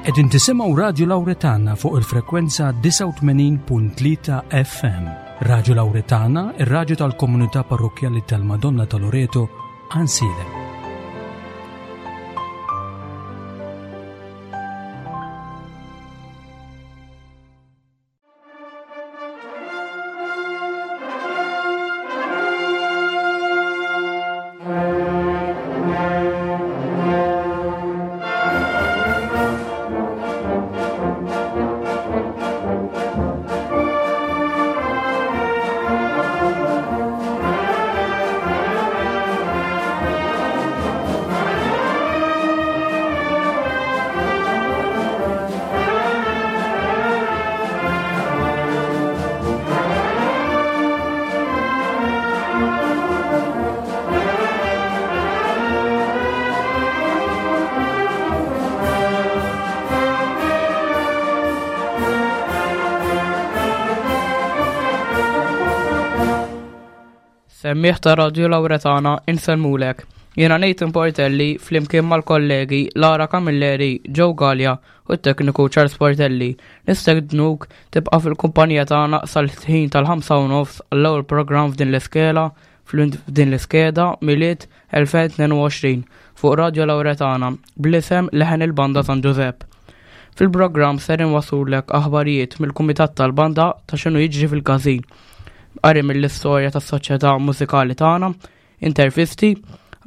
Qegħdin tisimgħu Radju Lawretana fuq il-frekwenza 89.3 FM. Radju Lawretana, ir-radju tal-komunità parrokkjali tal-Madonna ta' Loreto, Għansielem. Semmiegħ ta' Radju Lawretana insellmulek. Jiena Nathan Portelli flimkien mal-kollegi Lara Camilleri, Joe Galea u t-tekniku Charles Portelli. Nistednuk tibqa' fil-kumpanija tagħna sal-ħin tal-5 u nofs għall-ewwel programm f'din l-iskela f'din l-iskeda Milied 2022 fuq Radju Lawretana bl-isem Leħen il-Banda San Ġużepp. Fil-programm ser inwaslulek aħbarijiet mill-Kumitat tal-Banda ta' x'inhu jiġri fil-każin. Qari mill-istorja tas-soċjetà mużikali tagħna, intervisti,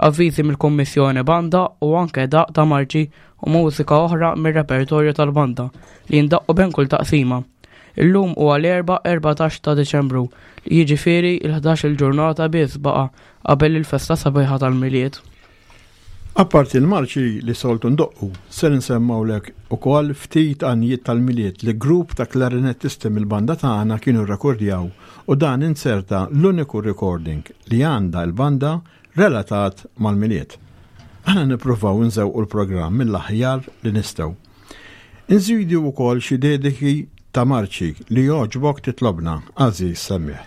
avviżi mill-Kummissjoni Banda u anke daqq ta' marċi u mużika oħra mir-repertorju tal-banda li jindaqqu bejn kull taqsima. Illum huwa l-Erbgħa 14 ta' Diċembru, jiġifieri l-ħdax il-ġurnata biss baqa' qabel il-festa sabiħa tal-Milied. Apparti l-marċi li soltu ndoqqu, ser insemmgħulek ukoll ftit għanjiet tal-Milied li grupp ta' klarinettisti mill-banda tagħna kienu rrekordjaw u dan inzerta l-uniku recording li għandha l-banda relatat mal-Milied. Aħna nippruvaw inżewqu l-programm mill-aħjar li nistgħu. Inżidu wkoll xi dediki ta' marċi li jogħġbok titlobna, għażiż semmiegħ.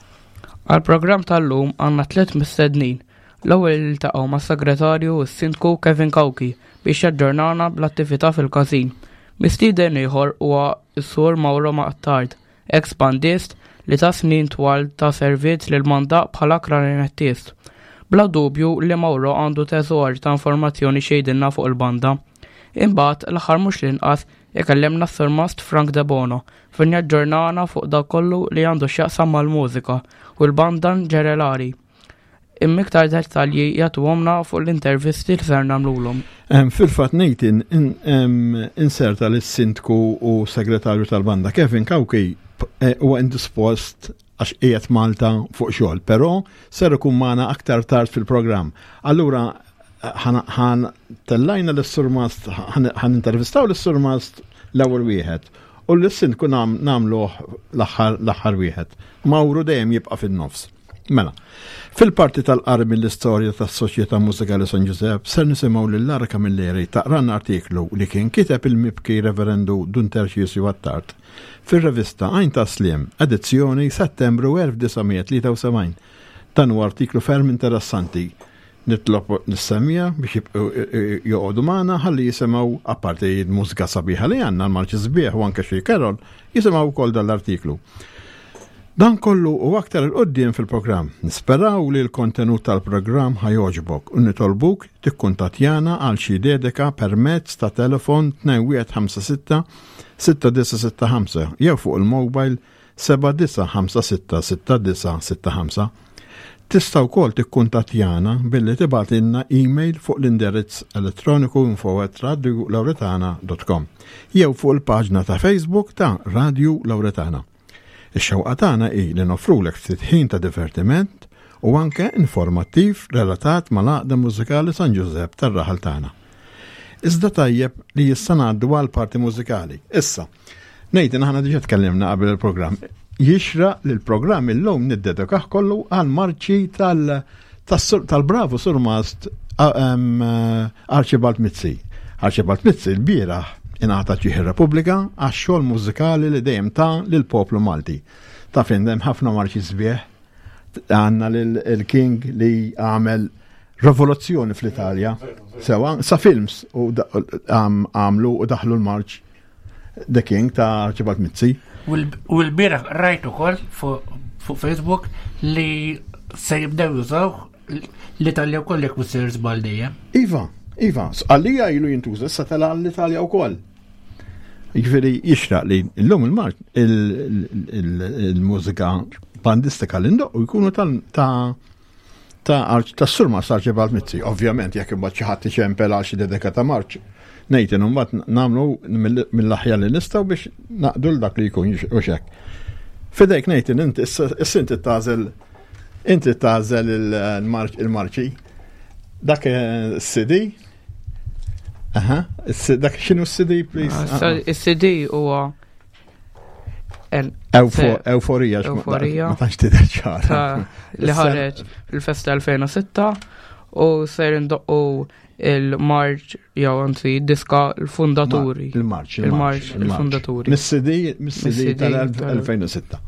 Għall-programm tal-lum għandna tlett mistednin. L-ewwel niltaqgħu mas-Segretarju u s-Sindku Kevin Cauchi biex jaġġornana bl-attività fil-każin. Mistieden ieħor huwa s-Sur Mauro Attard, eks bandist li ta snin twal ta' servizz lill-banda bħala klarinettist. Bla dubju li Mauro għandu teżor ta' informazzjoni x'jgħidilna fuq il-banda. Imbagħad, l-aħħar mhux l-inqas, ikellimna s-Surmast Frank Debono fejn jaġġornana fuq dak kollu li għandu x'jaqsam mal-mużika u l-banda ġenerali. Imma iktar dettalji jagħtuhomna fuq l-intervisti li ser nagħmlulhom. Fil-fatt Nathan inserta lis-sindku u segretarju tal-banda Kevin Cauchi eh, huwa indispost għax qiegħed Malta fuq xogħol, però ser ikun magħna aktar tard fil-programm. Allura ħan tellajna l-surmast, ħan intervistaw l-surmast l-ewwel wieħed u l-sindku nagħmluh l-aħħar wieħed. Mawru dejjem jibqa' fin-nofs. Mela, fil-parti tal-qari mill-istorja tas-Soċjetà Mużikali San Ġużepp ser nisimgħu lil Lara Camilleri taqran artiklu li kien kiteb il-mibki Reverendu Dun Terċisju Attard fir-revista Għajn ta' Sliem, edizzjoni Settembru 1973. Dan huwa artiklu ferm interessanti. Nitlob lis-semmiegħa biex jibqgħu joqogħdu magħna ħalli jisimgħu apparti l-mużika sabiħa li għandna, l-marċi sbieħ u anke xi carol, jisimgħu wkoll dan l-artiklu. Dan kollu u aktar 'il quddiem fil-programm. Nisperaw li l-kontenut tal-programm ħa jogħġbok u nitolbuk tikkuntattjana għal xi dedika permezz ta' telefon 2156 6965 jew fuq il-mobile 79566965. Tista' wkoll tikkuntattjana billi tibgħatilna email fuq l-indirizz elettroniku info@radiolauretana.com jew fuq il-paġna ta' Facebook ta' Radju Lauretana. Ix-xewqa tagħna hi li noffrulek ftit ħin ta' divertiment u anke informattiv relatat mal-Għaqda Mużikali San Ġużepp tar-raħal tagħna. Iżda tajjeb li issa ngħaddu għall-parti mużikali. Issa, Nathan aħna diġà tkellimna qabel il-programm. Jixraq li l-programm illum niddedikah kollu għall-marċi tal-bravu surmast Archibald Mizzi. Archibald Mizzi l-bieraħ ingħata ġieħ ir-Repubblika għax-xogħol mużikali li dejjem ta lill-poplu Malti. Taf hemm ħafna marċi sbieħ għandna l-King li għamel rivoluzzjoni fl-Italja. Sewa, sa films u għamlu u daħlu l-marċ. The King ta' Archibald Mizzi. U l-bieraħ rajt ukoll fuq Facebook li se jibdew jużaw l-Italja wkoll jekk mhux sejjer żball dejjem. Iva, iva, għalija ilu jintuża issa tela l-Italja wkoll. Jiġifieri jixraq li llum il-marċ il-mużika bandistika li ndoqqu jkunu ta' ta' tas-Surmast Archibald Mizzi. Ovvjament jekk imbagħad xi ħadd iċempel għal xi dedika ta' marċ, Nathan imbagħad nagħmlu mill-aħjar li nistgħu biex naqdu l dak li jkun u xek. Fidejk Nathan, inti issa inti tagħżel inti tagħżel il-marċi. Dak CD. Aha, dak x'inhu s-CD, please? Ah, is-CD huwa Euforija, Euforija. Ma tantx tidher ċara. Li ħareġ fil-festa 2006 u ser indoqqu il-marċ jew anzi diska l-fundaturi. Il-marċ, il-marċ, il-fundaturi. Mis-CD, mis-CD tal-2006.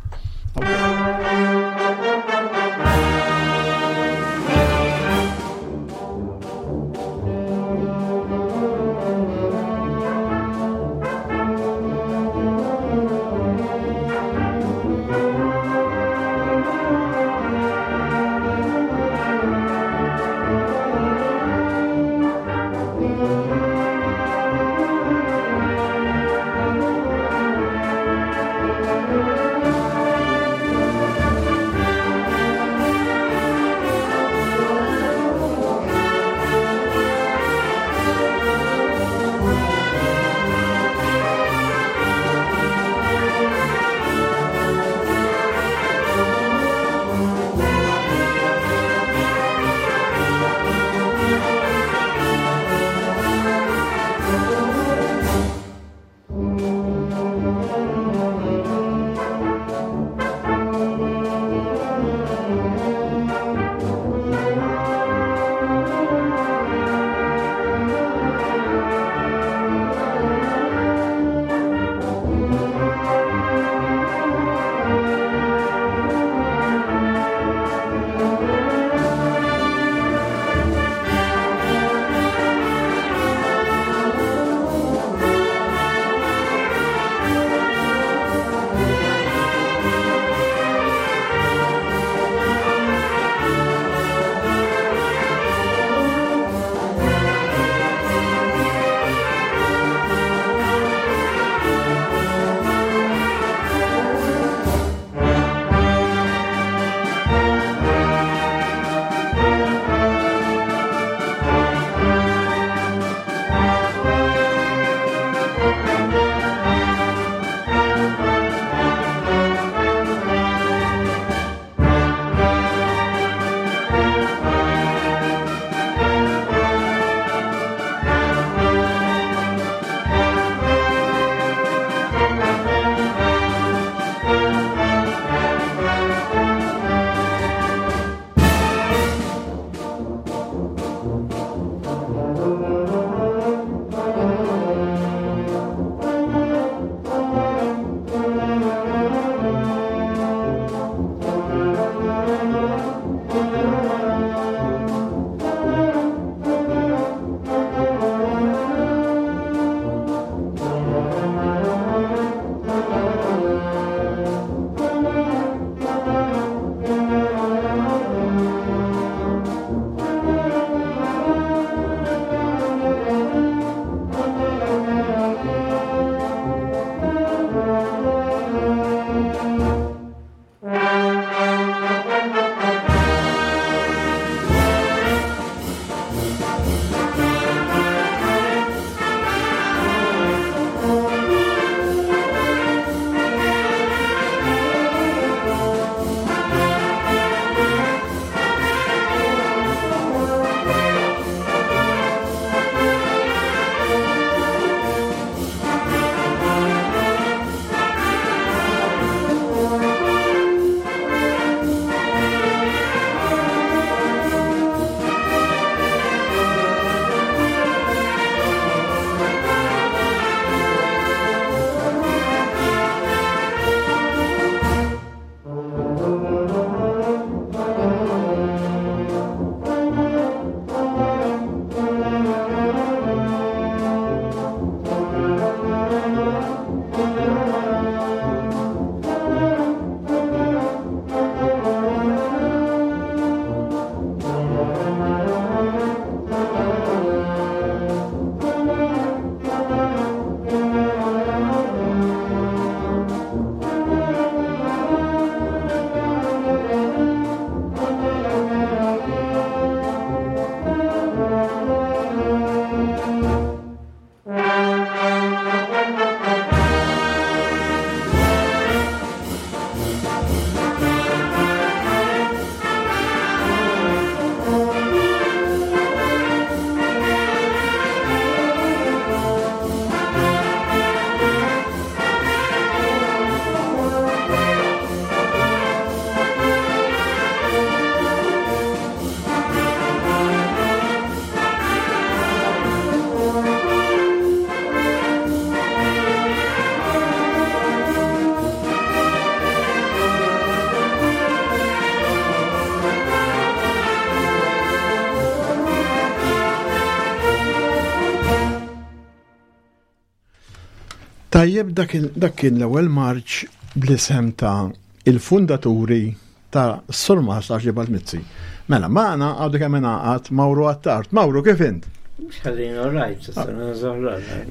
Tajjeb dak kien l-ewwel marċ bl-isem ta' il-fundaturi ta' Surmas Archibald Mizzi. Mela, magħna għadu kemm ingħaqad Mauro Attard. Mauro, kif int?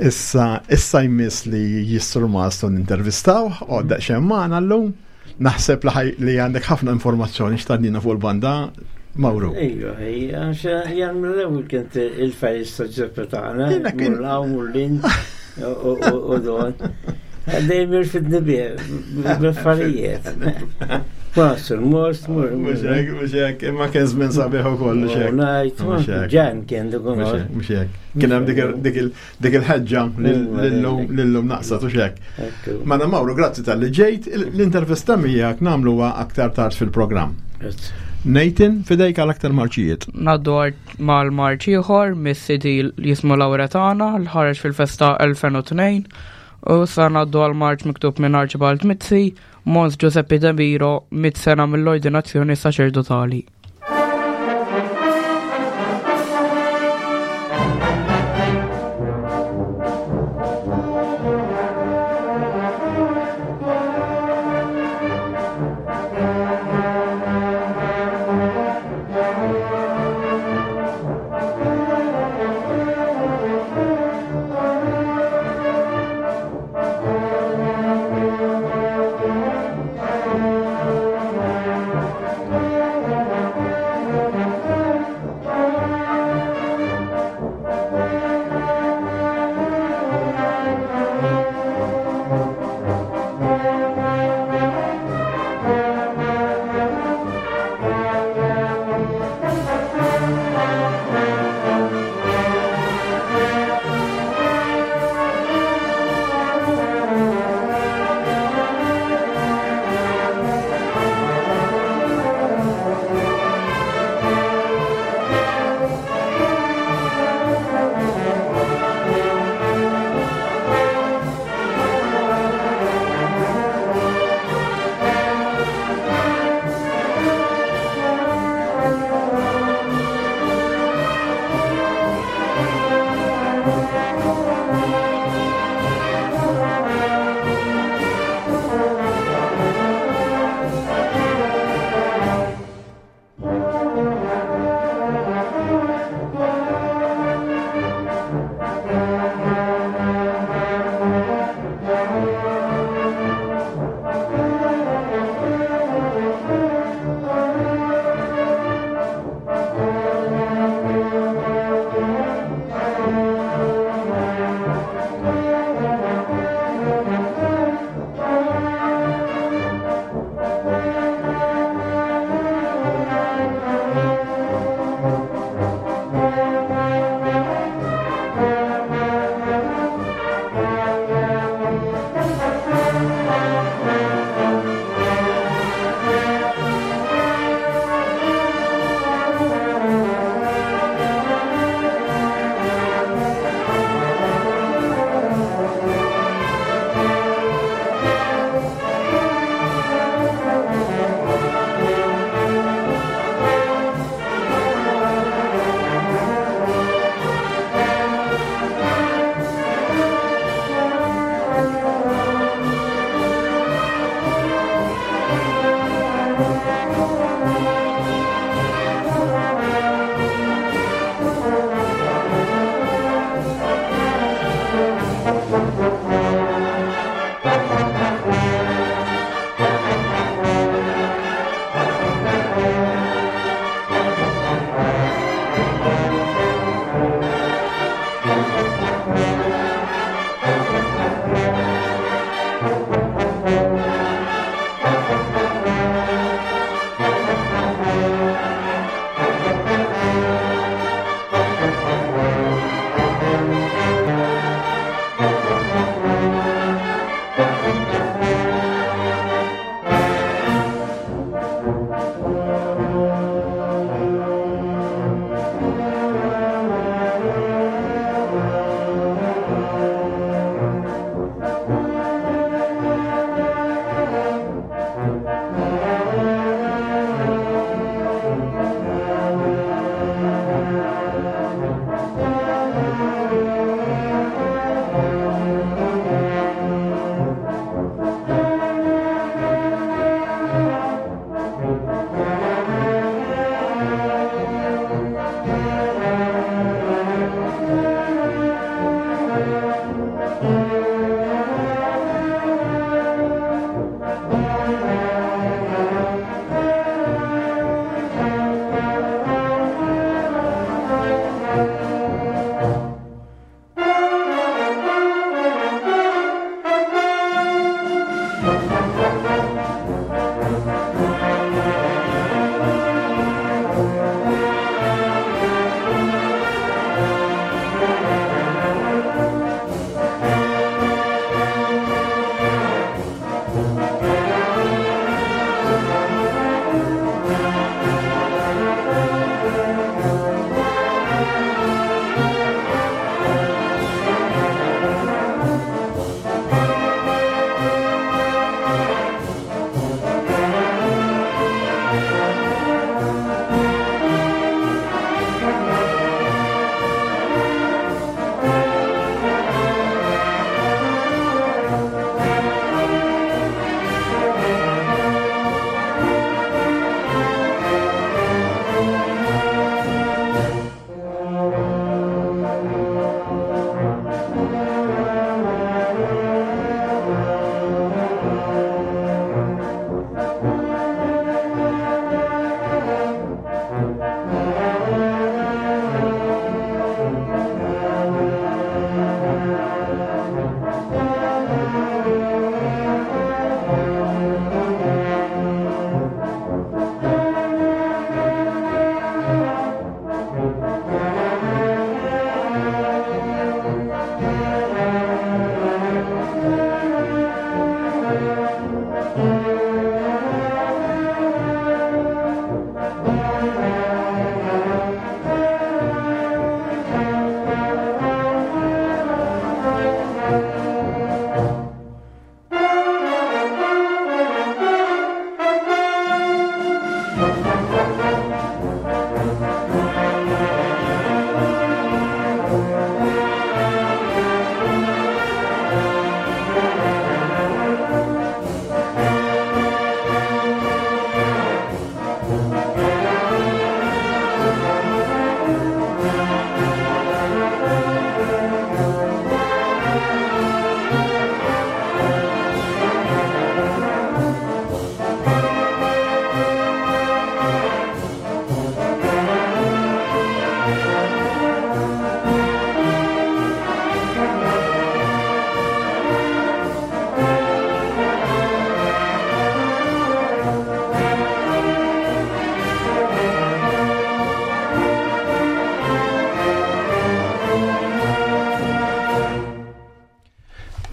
Issa, issa jmiss li jissurmas ton intervistaw, u daqxen magħna llum. Naħseb li għandek ħafna informazzjoni x'tgħaddina fuq il-banda, Mauro. Ejja, ejja, għax jien mill-ewwel kient il-fejs ta' Ġeppe tagħna. Murlaw, murlin u don. Dejjem irfidni bih, b'affarijiet. Wasur, most, mur. Mhux hekk, mhux hekk, imma kien żmien sabiħ ukoll, mhux hekk. Ngħid, ġan kien dik Mhux hekk. Kien hemm dik il-ħeġġa lillum naqsat u xek. Mela Mauro, grazzi tal-li ġejt, l-intervista miegħek nagħmluha aktar tard fil-programm. Nathan, fidejk għal aktar marċijiet. Naddu mal-marċ ieħor mis-CD jismu Lauretana l ħareġ fil-festa 2002 u sa naddu għal marċ miktub minn Archibald Mizzi, Mons Giuseppe De Miro, mit sena mill-ordinazzjoni saċerdotali.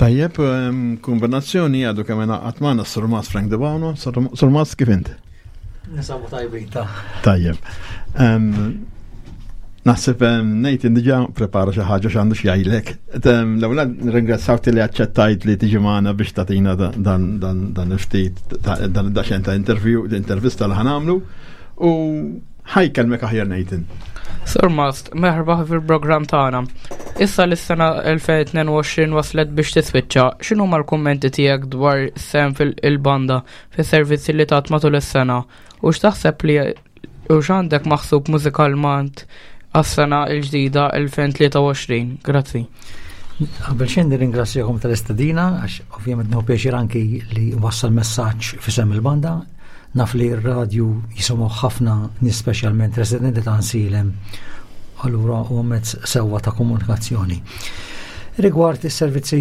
Tajjeb, kombinazzjoni għadu kemm ingħaqad magħna s-Surmas Frank Debano. Surmas kif int? Nisabu tajbin ta' Tajjeb. Naħseb Nathan diġà prepara xi ħaġa x'għandu x'jgħidlek. L-ewwel nirringrazzjaw li aċċettajt li tiġi magħna biex tagħtina dan il-ftit dan id-daxen ta' interview, intervista li ħanamlu u ħajkelmek aħjar Nathan. Sur Mast, merħba fil-programm tagħna. Issa li s-sena 2022 waslet biex tiswiċċa, x'inhuma l-kummenti tiegħek dwar sem fil-banda fis-servizzi li tat matul is-sena u x'taħseb li u x'għandek maħsub mużikalment għas-sena l-ġdida 2023? Grazzi. Qabel xejn nirringrazzjakom tal-istedina għax ovvjament nieħu pjaċir anki li wassal messaġġ fisem il-banda. Naf li r-radju jisimgħu ħafna nies speċjalment residenti ta' Nsilem allura huwa mezz sewwa ta' komunikazzjoni. Rigward is-servizzi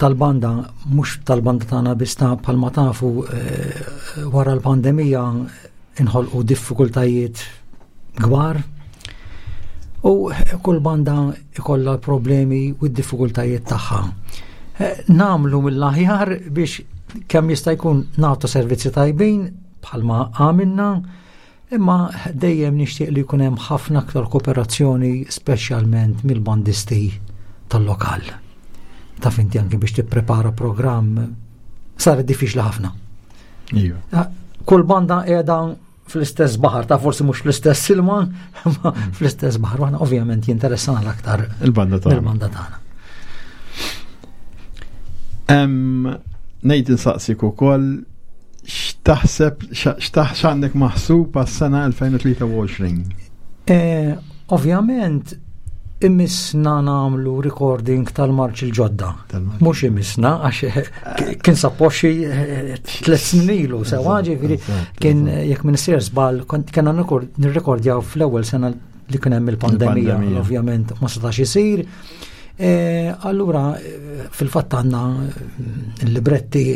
tal-banda, mhux tal-banda tagħna biss ta' bħalma tafu eh, wara l-pandemija inħolqu diffikultajiet kbar u kull banda ikollha l-problemi u d-diffikultajiet tagħha. Eh, namlu mill-aħjar biex kemm jista' jkun nagħtu servizzi tajbin bħalma għamilna, imma dejjem nixtieq li jkun hemm ħafna aktar kooperazzjoni speċjalment mill-bandisti tal-lokal. Taf inti anke biex tipprepara programm sar diffiċli ħafna. Iva. Ah, kull banda qiegħda fl-istess baħar, ta' forsi mhux fl-istess ilma, ma mm. fl-istess baħar, aħna ovvjament jinteressana l-aktar il-banda tagħna. Il-banda tagħna. Ngħid insaqsik ukoll x'taħseb x'għandek maħsub għas-sena 2023? Eh, ovvjament imissna namlu recording tal-marċ il-ġodda. Mux imissna, għax eh, kien sappoxi eh, tlet snin ilu, sewa ġifiri, kien eh, jekk minn sir żball, kena nirrekordjaw fl-ewwel sena li kien hemm il-pandemija, ovvjament ma setax isir. Allura, fil-fatt għandna l-libretti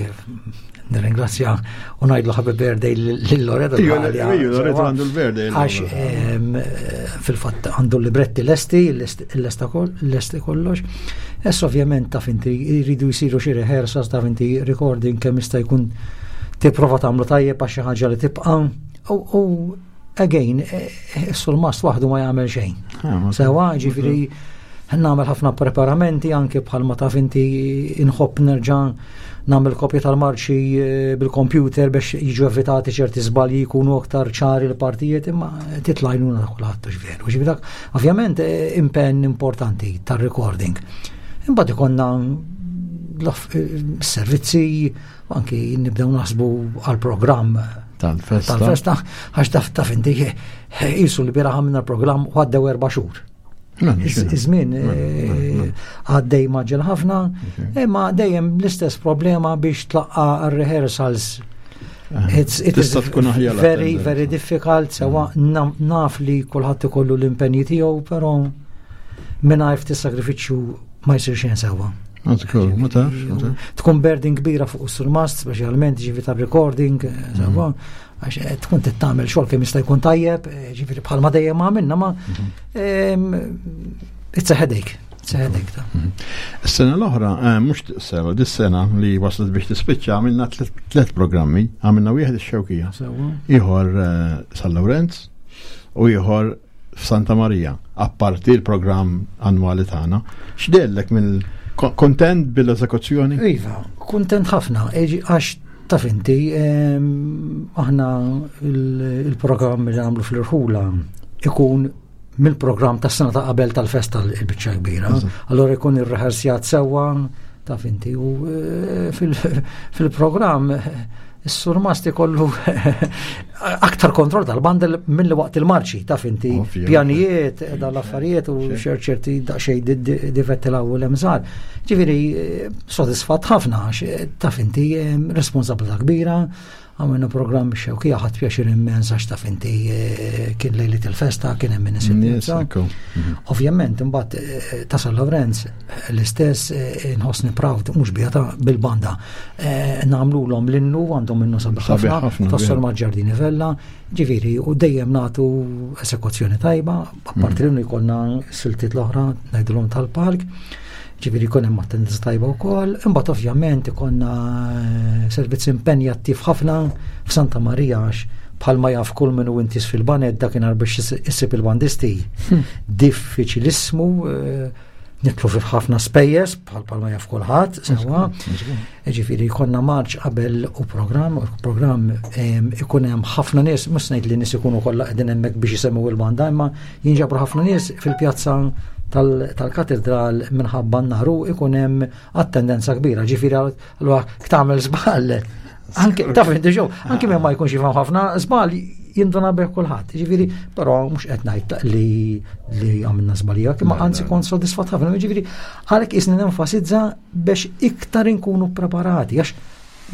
Nirringrazzja u ngħidlu happy birthday lil Loreto. Loreto għandu l-birthday. Għax fil-fatt għandu l-libretti lesti, lesti kollox. Ess ovvjament taf inti jridu jsiru xi rehearsals taf inti recording kemm jista' jkun tipprova tagħmlu tajjeb għax xi ħaġa li tibqa' u again, eh, eh, sul-mast waħdu ma jagħmel xejn. Ah, Sewa, ġifieri nagħmel ħafna preparamenti anke bħalma taf inti inħobb nerġa' nagħmel kopja tal-marċi eh, bil-kompjuter biex jiġu evitati ċerti żbalji jkunu aktar ċari l-partijiet imma titlajnuna ta' kulħadd hux veru. Ġifieri dak ovvjament impenn importanti tar-recording. Imbagħad ikonna servizzi Anki nibdew naħsbu għal-programm tal-festa. Tal-festa, għax taf taf inti jisu li bira għamilna l-programm u għaddew erba' xhur. Iż-żmien mela, mela, eh, mela. għaddej maġġel ħafna, imma dejjem l-istess problema biex tlaqqa r-rehearsals. Eh, it is very, very difficult, sewa mm. naf li kulħadd ikollu l-impenji tiegħu, però mingħajr ftit sagrifiċċju ma jsir xejn sewwa. Ma tafx, Tkun burden kbira fuq is-surmast, speċjalment ġifi tar-recording, eh, sewwa, mm. għax eh, tkun tittamel xogħol kemm jista' jkun tajjeb, eh, ġifieri bħalma dejjem għamilna ma mhm. it's a headache. It's a headache ta. Mhm. Is-sena l-oħra, mhux sena, dis-sena li waslet biex tispiċċa għamilna tliet programmi, għamilna wieħed ix-Xewkija, ieħor San Lawrenz u ieħor f'Santa Marija, apparti l-programm annwali tagħna. X'dellek mill kontent bil-eżekuzzjoni? Iva, kontent ħafna, għax taf inti, aħna il-programm li nagħmlu fl-irħula ikun mill-programm tas sena ta' qabel tal-festa l-biċċa kbira. Allora jkun ir-rehearsjat sewwa, taf inti, u eh, fil-programm Is-surmast ikollu aktar kontroll tal-bandel mill waqt il-marċi, taf inti, pjanijiet, dal-affarijiet u ċerti daqsxejn difetti l-ewwel hemm Ġifieri sodisfatt ħafna għax taf inti responsabilità kbira, għamilna programm xewkija ħadd pjaċir immens għax taf inti eh, kien lejlit il-festa, kien hemm nies mhm. Ovvjament imbagħad eh, ta' San Lawrenz l-istess eh, inħossni proud mhux bija ta' bil-banda. Eh, nagħmlulhom l-innu għandhom innu sabiħ ħafna, tas-Sur Maġġardini Vella, ġifieri u dejjem nagħtu esekuzzjoni tajba, apparti mm. l-innu jkollna siltiet l-oħra ngħidulhom tal-park. Ġifieri jkun hemm attendenza tajba wkoll, imbagħad ovvjament ikollna eh, servizz impenjattiv ħafna f'Santa Marija għax bħalma jaf kull min hu intis fil-baned dakinhar biex issib il-bandisti. Diffiċilissmu eh, nitlu fi ħafna spejjeż bħal bħalma jaf kulħadd, sewwa. Ġifieri jkollna marċ qabel u programm, u programm ikun hemm ħafna nies, mhux ngħid li nies ikunu kollha qegħdin hemmhekk biex isemmu il-banda, imma jinġabru ħafna nies fil-pjazza tal-katedral minħabba n-naru ikun hemm attendenza kbira. Ġifieri allura tagħmel żball. Anke taf inti ġew, anke minn ma jkunx jifhem ħafna żball jinduna bih kulħadd. Ġifieri, però mhux qed ngħid li li għamilna żbalija, imma anzi kont sodisfatt ħafna. Ġifieri, għalhekk isni nenfasizza biex iktar inkunu preparati għax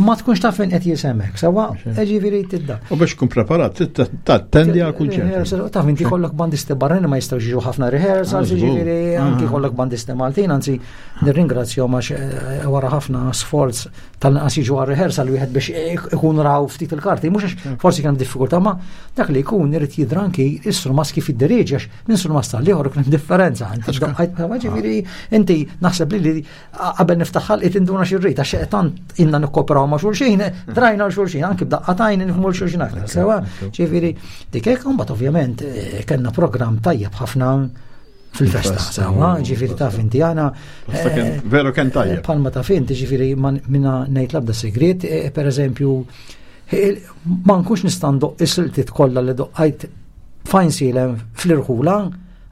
ma tkunx taf fejn qed jisemek, sewa ġifieri tidda. U biex tkun preparat, tattendi għal kunċert. Taf inti kollok bandisti barranin ma jistgħux jiġu ħafna rehearsals, ah, ġifieri anki ah. kollok bandisti Maltin, anzi nirringrazzjahom għax eh, wara ħafna sforz tal-inqas jiġu għal rehearsal wieħed biex ikun raw ftit il-karti, mhux għax hmm. forsi kien diffikultà, ma dak li jkun irid jidra anki is-surmas kif idderieġi għax minn surmas tal-ieħor kien differenza. Ġifieri inti naħseb li qabel niftaħ ħalqi tinduna xi rrid għax tant inna nikkooperaw ma' xulxin, drajna l xulxin, anki b'daqqa tajn nifhmu l xulxin aktar. Sewa, ġifieri dik hekk imbagħad ovvjament eh, kellna programm tajjeb ħafna fil-festa, sewa, ġifieri taf inti għana. Eh, veru kien tajjeb. Palma taf inti, ġifieri minna ngħid l-abda segret, eh, per eżempju, ma nkunx nista' ndoq is-siltiet kollha li doqqajt fajn silem fl-irħula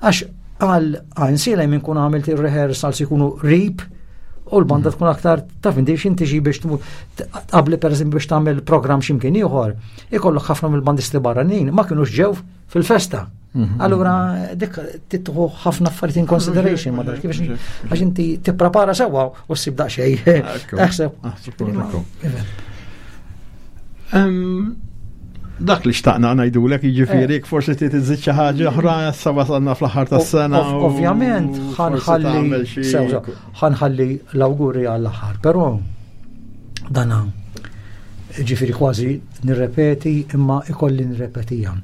Għax għal għajnsielem inkun għamilt il-rehearsals ikunu rip u l-banda mm. tkun aktar taf inti x'inti xi biex tmur qabli pereżempju biex tagħmel programm x'imkien ieħor, ikollok ħafna mill-bandisti barranin ma kinux ġew fil-festa. Mhm. Allura dik titħu ħafna affarijiet in consideration ma kif għax inti tipprepara sewwa u ssib daqsxejn. Taħseb. Dak li xtaqna ngħidulek jiġifieri eh. forsi trid iżid xi ħaġa oħra issa wasalna fl-aħħar tas-sena. Ovvjament ħanħalli ħanħalli l-awguri għall-aħħar, però dana ġifieri kważi nirrepeti imma ikolli nirrepetija.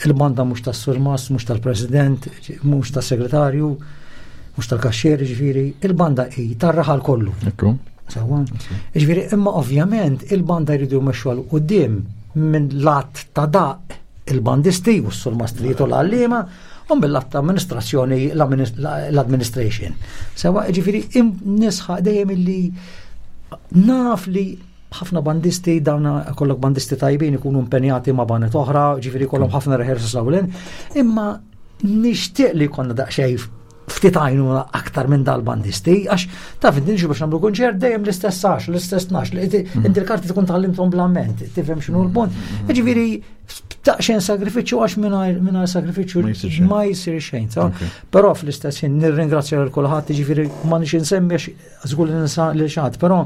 Il-banda mhux tas-surmas, mhux tal-president, mhux tas-segretarju, mhux tal-kaxxier, ġifieri, il-banda hi tar-raħal kollu. Ekku. Sewwa. Ġifieri, imma ovvjament il-banda jridu jmexxu għal quddiem minn lat ta' daq il-bandisti u s-surmastrijiet u l-għalliema u mill-lat ta' amministrazzjoni l-administration. Sewa, ġifieri, nisħaq dejjem illi naf li ħafna bandisti, dawna kollok bandisti tajbin ikunu impenjati ma' banet oħra, ġifieri kollhom ħafna rehearsals l imma nixtieq li konna daqsxejn ftit għajnuna aktar minn dal-bandisti, għax taf inti biex nagħmlu kunċert dejjem l-istess għax, l-istess nax, mm. inti l-karti tkun tgħallimthom bl-amment, tifhem x'inhu l-punt. Mm. Ġifieri daqsxejn sagrifiċċju għax mingħajr sagrifiċċju ma jsir xejn. Però fl-istess ħin nirringrazzja lil kulħadd, ġifieri ma nix insemmi għax żgur li nisa lil xi ħadd, però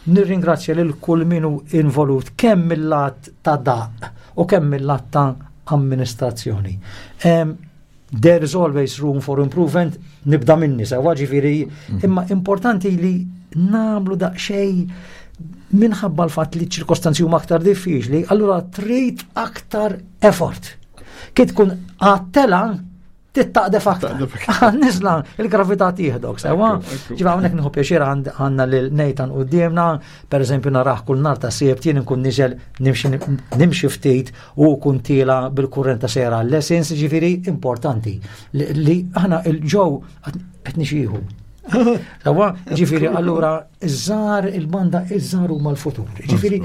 nirringrazzja lil kull min hu involut kemm mill-lat ta' daq u kemm mill-lat ta' amministrazzjoni. There is always room for improvement, nibda minni sewa ġifieri, mm. imma importanti li namlu daqsxejn minħabba l-fatt li ċirkostanzi huma aktar diffiċli, allura trid aktar effort. Kif tkun għattela tittaqdef aktar. Nizla, il-gravità tieħdok, sewa. Ġiba hawnhekk nieħu pjaċir għandna lil Nathan qudiemna, pereżempju naraħ kull nar ta' sibt jien inkun niżel nimxi ftit u kun tiela bil-kurrent ta' sejra lessons, ġifieri importanti li aħna il-ġew qed nixieħu. Sawa, ġifieri allura iż-żar il-banda iż-żar huma l-futur. Ġifieri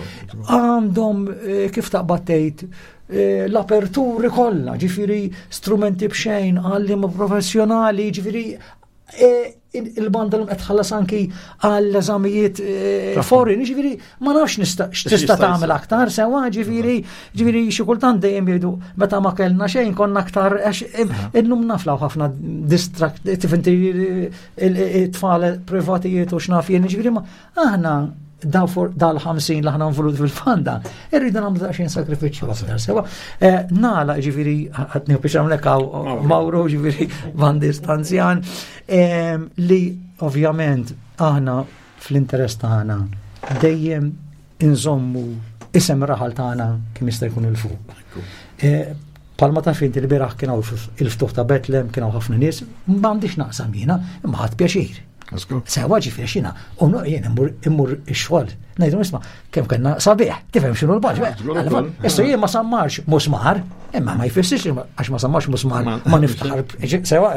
għandhom eh, kif taqbad tgħid eh, l-aperturi kollha, ġifieri strumenti b'xejn, għalliema professjonali, ġifieri e, il-banda l qed tħallas anki għall eżamijiet e, foreign, ġifieri ma nafx x'tista' tagħmel aktar sewa, ġifieri ġifieri xi kultant dejjem jgħidu meta ma kellna xejn konna aktar għax illum naflaw ħafna distract tifhem it-tfal privatijiet u x'naf jien, ġifieri ma aħna dal-50 li aħna involut fil-fanda, irridu nagħmlu daqsxejn sakrifiċċju aktar sewa. Eh, nala ġifieri qed nieħu biex hawnhekk hawn Mauro ġifieri bandist anzjan eh, li ovvjament aħna fl-interess tagħna dejjem inżommu isem raħal tagħna kemm jista' jkun il fuq. Eh, Palma ta' finti li biraħ kien il-ftuħ ta' Betlem, kien hawn ħafna nies, m'għandix naqsam jiena, imma ħadd pjaċir. Sewa ġifieri xina, u jien immur ix-xogħol. Ngħidu isma' kemm kellna sabiħ, tifhem x'inhu l-baġ. Issa jien ma sammarx musmar, imma ma jfissirx għax ma sammarx musmar ma niftaħar. Sewa,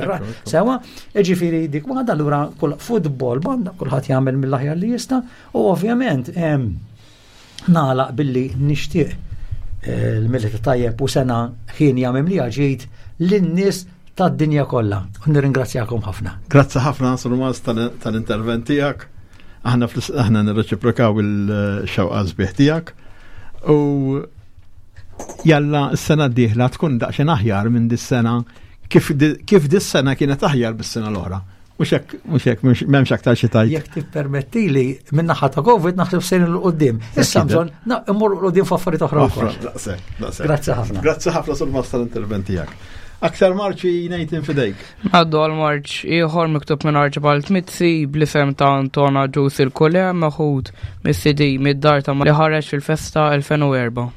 sewa, ġifieri dik waħda allura kull futbol banda kulħadd jagħmel mill-aħjar li jista' u ovvjament nagħlaq billi nixtieq eh, l-milita tajjeb u sena ħin mimlija ġejt lin-nies tad-dinja kollha. U nirringrazzjakom ħafna. Grazzi ħafna Sir tal-intervent tiegħek. Aħna aħna nirreċiprokaw il-xewqa sbieħ tiegħek. U jalla s-sena d-dieħla tkun daqsxejn aħjar minn dis-sena kif dis-sena kienet aħjar bis-sena l-oħra. Mhux hekk, mhux hekk, m'hemmx aktar xi tajt. Jekk tippermettili min-naħa ta' Covid naħseb sejn il qudiem. Issa bżonn immur qudiem f'affarijiet oħra wkoll. Grazzi ħafna. Grazzi ħafna sul masta l-intervent tiegħek. Aktar marċi Nathan fidejk. Għaddu għal marċ ieħor miktub minn Archibald Mizzi bl-isem ta' Antona Ġus il-Kule meħud mis-CD mid-dar ta' li ħareġ fil-festa 2004.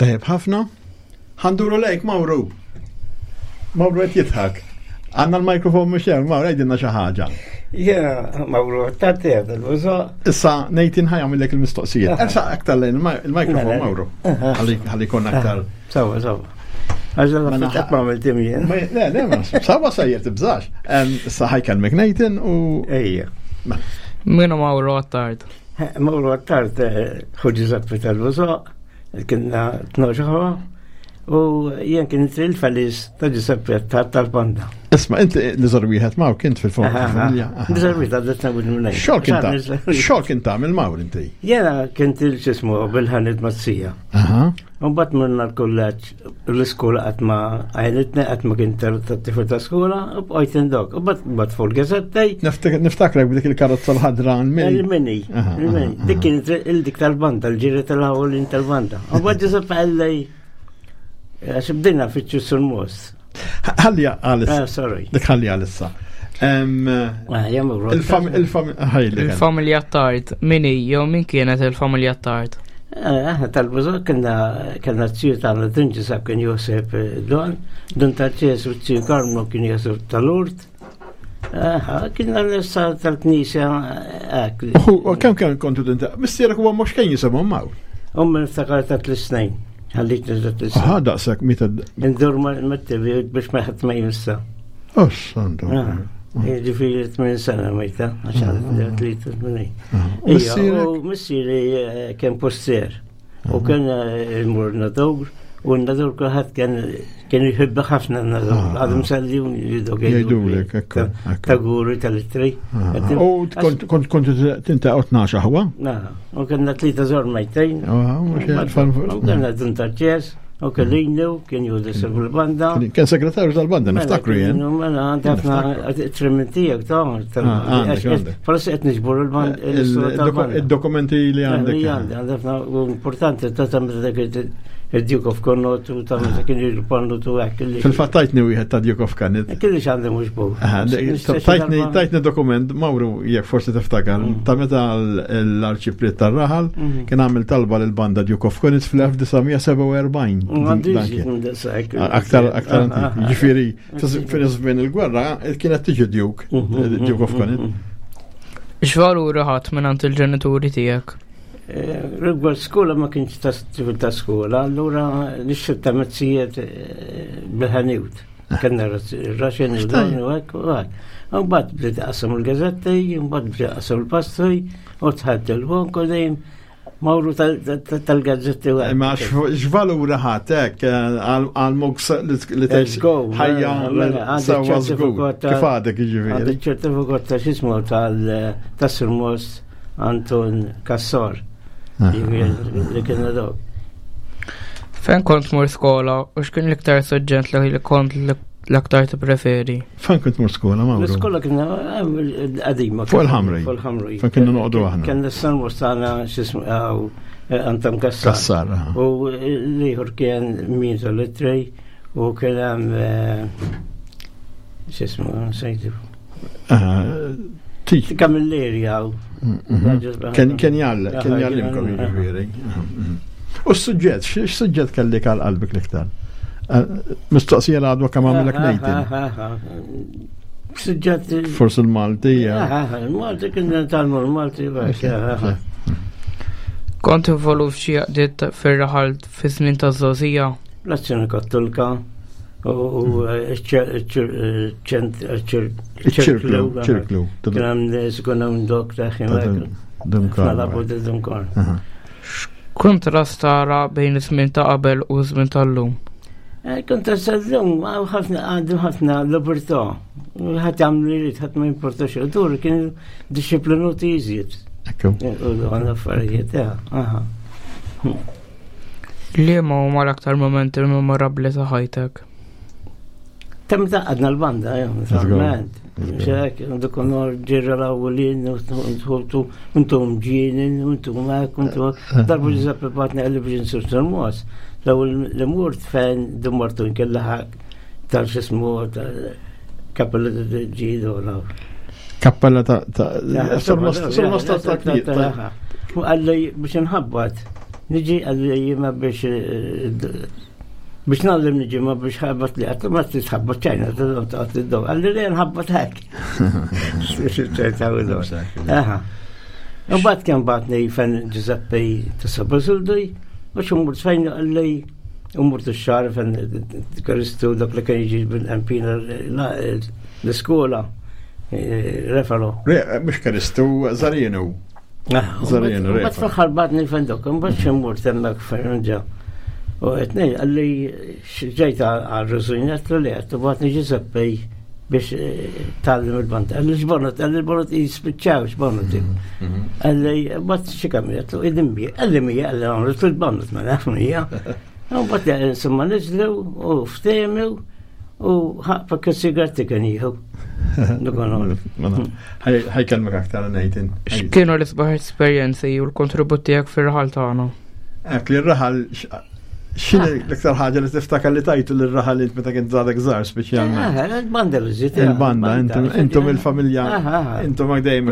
Tajjeb ħafna. Ħanduru lejk, Mawru. Mawru qed jidħak. Għandna l-mikrofon mhux hemm, Mawru għidilna xi ħaġa. Jiena Mawru tard il-bużo. Issa Nathan ħa jagħmillek il-mistoqsija. Issa aktar lejn il-mikrofon mela. Mawru. Ħalli jkun aktar. Sawa, sawa. Għax la qatt ma għamilt jien. Le, le, ma sawa sejjer tibżax. Issa ħajkellmek Nathan u. Ejja. Mela. Minu Mawru Attard? Mawru Attard eh, ħu Giuseppe tal-Bużo. Kienna 12 ħwa u jien kien il-felis ta' Giuseppe tal-banda. Isma, inti li żar wieħed maw kint fil-fond familja. Żar wieħed għaddet nagħmel minn Xogħol kien ta' xogħol kien tagħmel mawr inti. Jiena kien il-ġismu bil-ħanit mazzija. Mbagħad morna l-kulleġġ l-iskola qatt ma għajnitni qatt ma kien tat-tifel ta' skola u bqajt indok. U bat fuq il-gazettej. Niftakrek b'dik il-karozza l-ħadra l-mini. Il-mini. Dik kienet il-dik tal-banda, l-ġiri tal-ħawlin tal-banda. U bat Giuseppe għallej, għax bdejna fitxu sul-mos. Ħalli għalissa. Ah, sorry. Dik ħalli għalissa. Ah, Il-familja Tard, min hi jew min kienet il-familja Tard? Eh, aħna tal-bużok kienna kellna t-tiju tagħna Dun Ġisab kien Josef eh, Don, Dun Tarċes u t-tiju Karmnu kien Josef tal-Urt. Eh, kienna l-issa tal-knisja hekk. U kemm kemm kontu tinta? Missierek huwa mhux kien jisimhom maw. Ummi niftakar ta' tliet snin. Ħallit ta' tliet snin. Aha, daqshekk meta. Indur mat-TV biex ma ħadd ma jinsa. Oh, santo. Ah, Ġifieri 8 sena mejta, għax għadha tlieta tmenin. U missieri eh, kien postier u kien eh, imur nadur u n-nadur kulħadd kien kien jħibba ħafna n-nadur. Ah, Għadhom ah. salli u jidok. Jgħidulek, ekku. Ta' guri tal-ittri. U kont kont tinta' 12 aħwa? U kellna tlieta żor mejtejn. U kellna dun tal-ċes. U kellinu, kien juża fil-banda. Kien segretarju tal-banda, mela, niftakru jien. Mela, għandi ħafna trimmentijak ta' ah, Forsi qed niġbor il-banda. Eh, il-dokumenti li għandek. Li għandi, għandi ħafna importanti ta' ta' dak il-Duke of Connaught u ta' meta kien il-Connaught u hekk. Fil-fatt tajtni wieħed ta' Duke of Connaught. Kien li għandi mhux bu. Tajtni dokument, Mawru, jekk forsi tiftakar, mm. ta' meta l-arċipriet tar-raħal mm. kien għamil talba lil banda Duke of Connaught fl-1947. Aktar, aktar ah, ah, ah. Ġifieri, fil-żmien il-gwerra kienet tiġi Duke, mm-hmm, Duke of mm-hmm, Connaught. Mm-hmm. X'valuri ħadd minn il-ġenituri tiegħek? Eh, rigward skola ma kienx ta' ta' skola, allura nixxib ta' mezzijiet eh, bil-ħanut. Kenna raxen u dan u hekk u hekk. U mbagħad bdiet qasam il-gazetti, mbagħad bdiet qasam il-pastri, u tħadd il-bonk u dejjem mawru tal-gazzetti u Imma x'valura ħadd hekk eh, għal moks li tgħix ħajja mela, sewwa żgur. Kif għadek jiġifieri? Għandi ċertifikat ta' x'ismu tal-Sirmos Anton Kassar. Li kienu dawk. Fejn kont mur skola u x'kien l-iktar suġġett li kont l-aktar tippreferi? Fejn kont mur skola, Mawru? L-iskola kienna eh, qadima. Fuq il-ħamri. Fuq il-ħamri. Fejn kienna noqogħdu aħna. Kien l-san tagħna x'ismu eh, Anton Kassar. Kassar. U l-ieħor kien min tal-ittri u kien hemm eh, x'ismu sejtu. Kamilleri għaw. Mhm. Kien jgħall, kien jgħallimkom jiġifieri. Mhm. U s-suġġett, x'suġġett kellek għal qalbek l-iktar? Eh, mistoqsija l għadwa kemm għamilek Nathan. Suġġett. Forsi l-Malti. Il-Malti kien tal-mur Malti. Kont involut f'xi għaqdiet fir-raħal fi żmien ta' żgħożija? L-Azzjoni Kattolika u ċirklu. ċirklu. Kien hemm nies ikun hemm dok ta' Dunkar. X'kuntrast tara bejn iż-żmien ta' qabel u ż-żmien tal-lum? Eh, kontrast tal-lum ħafna għandu ħafna libertà. Ħadd jagħmlu li jrid, ħadd ma jimporta xejn. Dur kien disciplinuti iżjed. Ekku. U għandna affarijiet, eh, aha. Liema huma l-aktar momenti memorabbli ta' ħajtek? Ta' meta għadna l-banda, eh, naturalment. Xek, dik onor ġirra l-awlin, nħultu, intom ġinin, intom hekk, intom darbu Giuseppe batni għalli biex nsir tal-mos. L-ewwel li mort fejn dimmartu nkella tal-xismu tal-kappella ġidu. Kappella ta' sul-mosta ta' Għalli biex nħabbat. Niġi għalli jima biex biex nallim niġi ma biex ħabbat li għattu ma titħabbat ċajna, t-għat id-dom. Għalli li nħabbat hekk. U bat kien batni fen Giuseppe Tessa Basulduj, u xumur fejn għalli umur t-xar fen Kristu dak li kien jiġi bil-empina l-iskola, refalo. Re, mux Kristu, Zarinu. Zarinu, re. Bat fl-axar batni fen dok, bat xumur temmek fejn ġa. U għetni, għalli ġejt għal-rużujnet li għettu batni Giuseppe biex eh, tallim il-banda. Għalli xbonot, għalli l-bonot jispiċċaw xbonot. Mhm. Għalli, bat xikam jgħatlu, id-imbi, għalli mija, għalli għamlu il-bonot, ma naf mija. U bat insomma nizlu u ftemi u ħaqfa sigaretti kien jieħu. Ħajkelmek aktar Nathan. X'kienu l-isbaħ esperjenzi u l-kontribut tiegħek fir-raħal tagħna? Ek li r-raħal x'inhi l-iktar ħaġa li tiftakar li tajtu lir-raħal int meta kien żgħadek żgħar speċjalment? Eh, il-banda li żiet. Il-banda, intom il-familja, intom dejjem.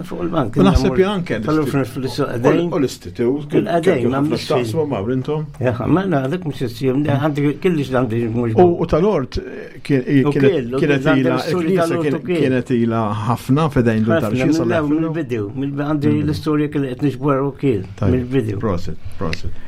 Fuq il-bank. Naħseb jien anke. U l-istitut. Il-qadejn, ma mhux mawr intom. Ma dak mhux issir, għandi kellix għandi mhux. U tal-ort kienet ila kienet ila ħafna fedejn dun tal-xisa. Mill-bidu, għandi l-istorja kien qed nixbor u kien mill-bidu. Prosit, prosit.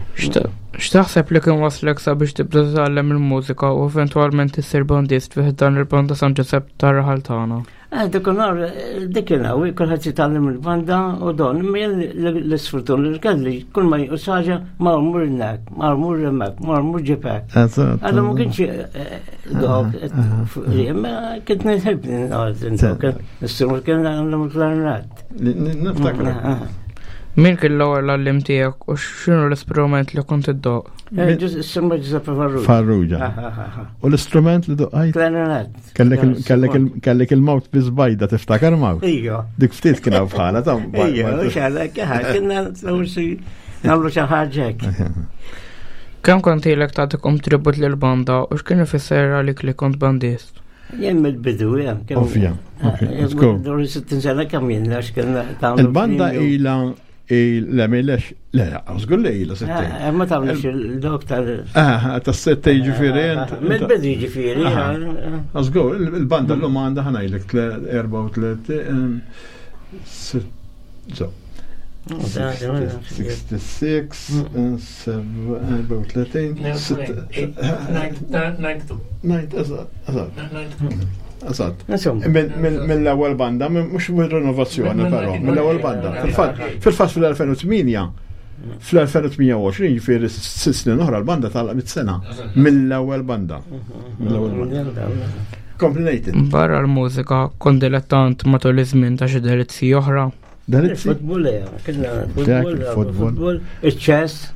X'taħseb li kien waslek sabiex tibda titgħallem il-mużika u eventwalment issir bandist fih dan il-banda San Ġusepp tar-raħal tagħna? Eh, dik nhar, eh, dik il-għawi, kulħadd jitgħallem il-banda u don, imma jien l-isfurtun li kelli, kull ma jqus ħaġa, ma mur hemmhekk, ma mur hemmhekk, ma mur ġibek. Għallu ma kienx eh, dok, imma kont nħib dok, l-istrument kien għandhom il-klarinett. Niftakar. Min kien l-ewwel għallim tiegħek u x'inhu l-istrument li kont iddoq? Semma Giuseppe Farrugia. Farrugia. U l-istrument li doqqajt? Klarinett. Kellek il-mawt biżbajda tiftakar mawt? Ija. Dik ftit kien hawn bħala ta' Ija, xalek, kienna nagħmlu xi ħaġa hekk. Kemm kont ilek tagħti kontribut lil banda u x'kien ifisser għalik li kont bandist? Jien mill-bidu, jem. Ovvja. Let's go. Dur 60 sena kemm jien għax kien Il-banda ila Le, milex, le, żgur li ila settej. Eh, ma tagħmlux il-dok tal. Ah, tas settej ġifieri. Mill-bidu ġifieri. Żgur, il-banda llum għandha ħanajlek 34 so. 66, 34, 92. 92, eżatt. Eżatt. Mill-ewwel banda, mhux mill-renovazzjoni però, mill-ewwel banda. Fil-fatt fil-2008 fl-2028 ġifieri sitt snin oħra l-banda tagħlaq mit-sena mill-ewwel banda. Mill-ewwel banda. Komplejt. Barra l-mużika kont dilettant matul iż-żmien ta' xi delizzi oħra. Delizzi? Futbol, futbol, futbol, iċ-ċess.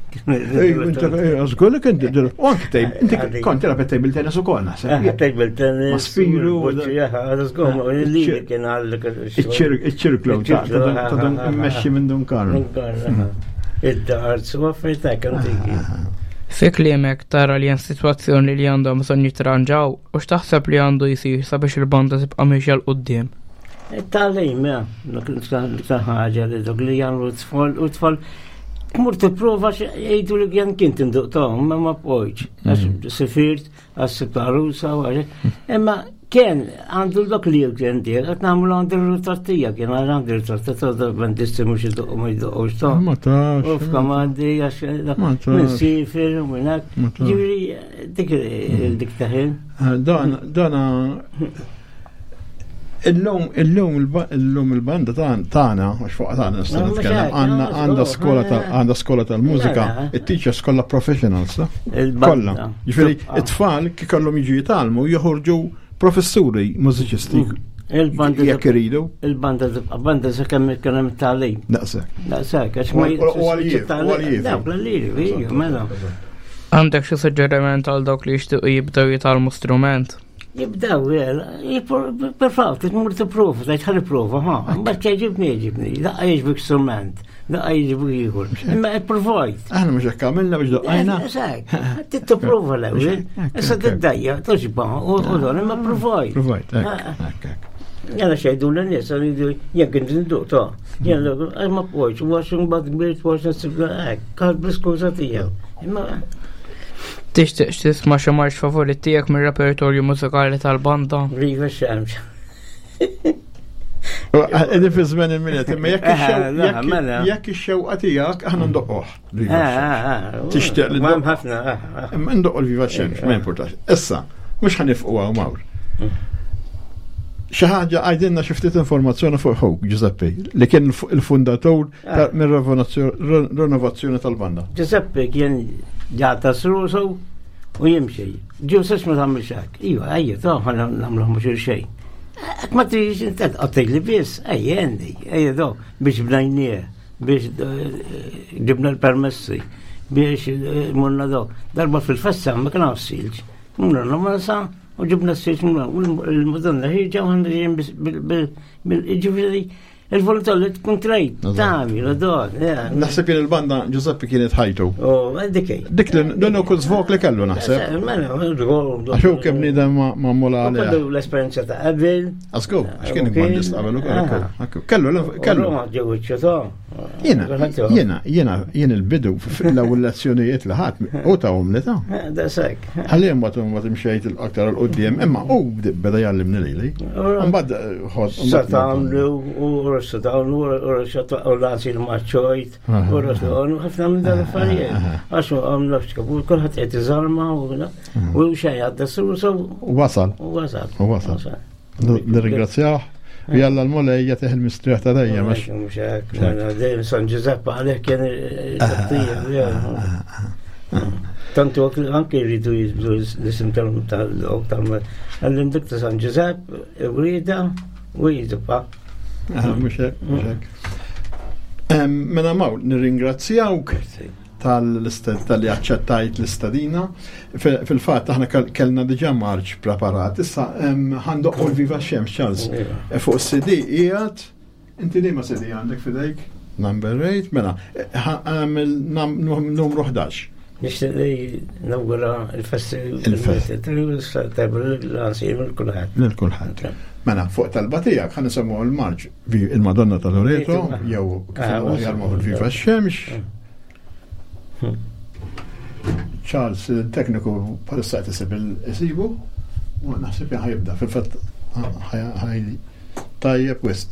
Żgur li kien u anke tejb, inti kont tilgħab table tennis ukoll naħseb. Table tennis. Spiru. Li kien għal. Iċ-ċirklu ta' dun immexxi minn Dun Karl. Id-darts u affarijiet hekk antiki. Fi kliemek tara li hemm sitwazzjoni li għandhom bżonn jitranġaw u x'taħseb li għandu jsir sabiex il-banda tibqa' miexja 'l quddiem? It-tagħlim, l-iktar ħaġa li dok li jagħmlu t-tfal u t-tfal tmur tipprova jgħidu li kien kien tinduq tagħhom, ma ma bqojtx. Għax mm. sifirt, għax sibt għarusa, imma kien għandu dak li kien dir, qed nagħmlu għandu ritrattija, kien għandu ritrattija ta' bandisti mhux iduqqu ma jduqqux ta' Ma tafx. U f'kamandi għax minn sifir u minn hekk. Ġifieri dik dik taħin. Eh, dan dan Illum, illum, illum il-banda tagħna, għax fuq tagħna nista' nitkellem, għandna għandha skola tal għandha skola tal-mużika, it-teachers kollha professionals, kollha. Ġifieri it-tfal kif kellhom jiġu jitgħallmu joħorġu professuri mużiċisti. Mm. Il-banda jekk iridu. Il-banda tibqa' banda sakemm ikun hemm tagħlim. Daqshekk. Daqshekk, għax ma U għal mela. Għandek xi suġġeriment għal dawk li jixtiequ jibdew jitgħallmu strument? Jibdew, per tmur tipprova, tgħid ħalli prova, ha, mbagħad jogħġibni jogħġibni, daqqa jogħġbek strument, daqqa jogħġbek ieħor. Imma ipprovajt. Aħna mhux hekk għamilna biex doqqajna. Tipprova l-ewwel, issa tiddajja, toġba, u dan imma provajt. Provajt, hekk, hekk. Jena xejdu l-nies, jien kien nduq ta' jien għax ma pojċ, u għax imbagħad kbirt forsi nsib hekk, kal bl-iskuża tiegħu. Imma Tixtieq tisma' xi marx favorit tiegħek mir-repertorju mużikali tal-banda? Viva x-xemx. Qegħdin fi żmien il-miliet, imma jekk mela. jekk ix-xewqa tiegħek aħna ndoqqoh. Tixtieq li ndoqqoh. ħafna. Imma ndoqqu l-Viva x-xemx, ma jimpurtax. Issa, mhux ħanifqu hawn mawr. Xi ħaġa għajdilna xi ftit informazzjoni fuq ħuk Giuseppe, li kien il-fundatur mir-renovazzjoni tal-banda. Giuseppe kien ġata srusu u jimxi. Giuseppe ma tagħmilx hekk. Iva, ejja, ta' ħana nagħmlu mhux xejn. Hekk ma tridx inti tqattej li biss, ejja għandi, ejja do biex bnajnieh, biex eh, ġibna l-permessi, biex eh, morna do. Darba fil-festa ma kien hawn silġ. Morna masa u ġibna s-silġ u l-Madonna ħirġa u ħanna ġejjin bil-ġifieri il-volontà li tkun trejt, tagħmel, don. Naħseb jien il-banda Giuseppe kienet ħajtu. Oh, dik Dik li l-uniku żvok li kellu naħseb. Mela, Għax hu kemm bniedem ma' mula għalih. Kellu l-esperjenza ta' qabel. Għasku, għax kien bandist qabel ukoll. Kellu, kellu. Ġew iċ-ċetà. Jiena, jiena, jiena, jien il-bidu fl-ewwel lezzjonijiet li ħadd u tawhom li ta'. Eh, da sekk. Ħalli mbagħad mbagħad imxejt aktar 'l quddiem, imma hu beda jgħallimni lili. Mbagħad eh, ħodd. Sa tagħmlu u rossa tagħmlu u rossa u lasi l-maċċojt u rossa u ħafna minn dan l-affarijiet. Għax għamlu xkabu kulħadd qed iżarma u xejn għadda su Wasal. U wasal. U wasal. Nirringrazzjah. U jalla l-Mulej jagħtih il-mistrieħ ta' dejjem. Mhux hekk, mela dejjem San Ġużepp għalih kien il-qattija. Tantu anke jridu jibdu l-isim tal-ok tal-għallim dik ta' San Ġużepp, wrieda u jidba. Mhux hekk, mhux hekk. Mela Mawl, nirringrazzjawk tal-li aċċettajt l-istadina. Fil-fatt aħna kellna diġà marċ preparat. Issa ħandoqqu l-Viva Xemx Charles. E, fuq CD qiegħed inti liema CD għandek fidejk? Number 8, mela, numru 11. Nixtieq li nawgura il-festi il-festi tajba l-għansir lil kulħadd. Lil kulħadd. Mela, fuq talba tiegħek ħa nisemgħu l-marċ il-Madonna ta' Loreto, jew kif aħjar ma' Viva x-Xemx. Charles, il-tekniku bħalissa qed isib il-isibu, u naħseb ħajibda, fil-fatt ħaj tajjeb wisq.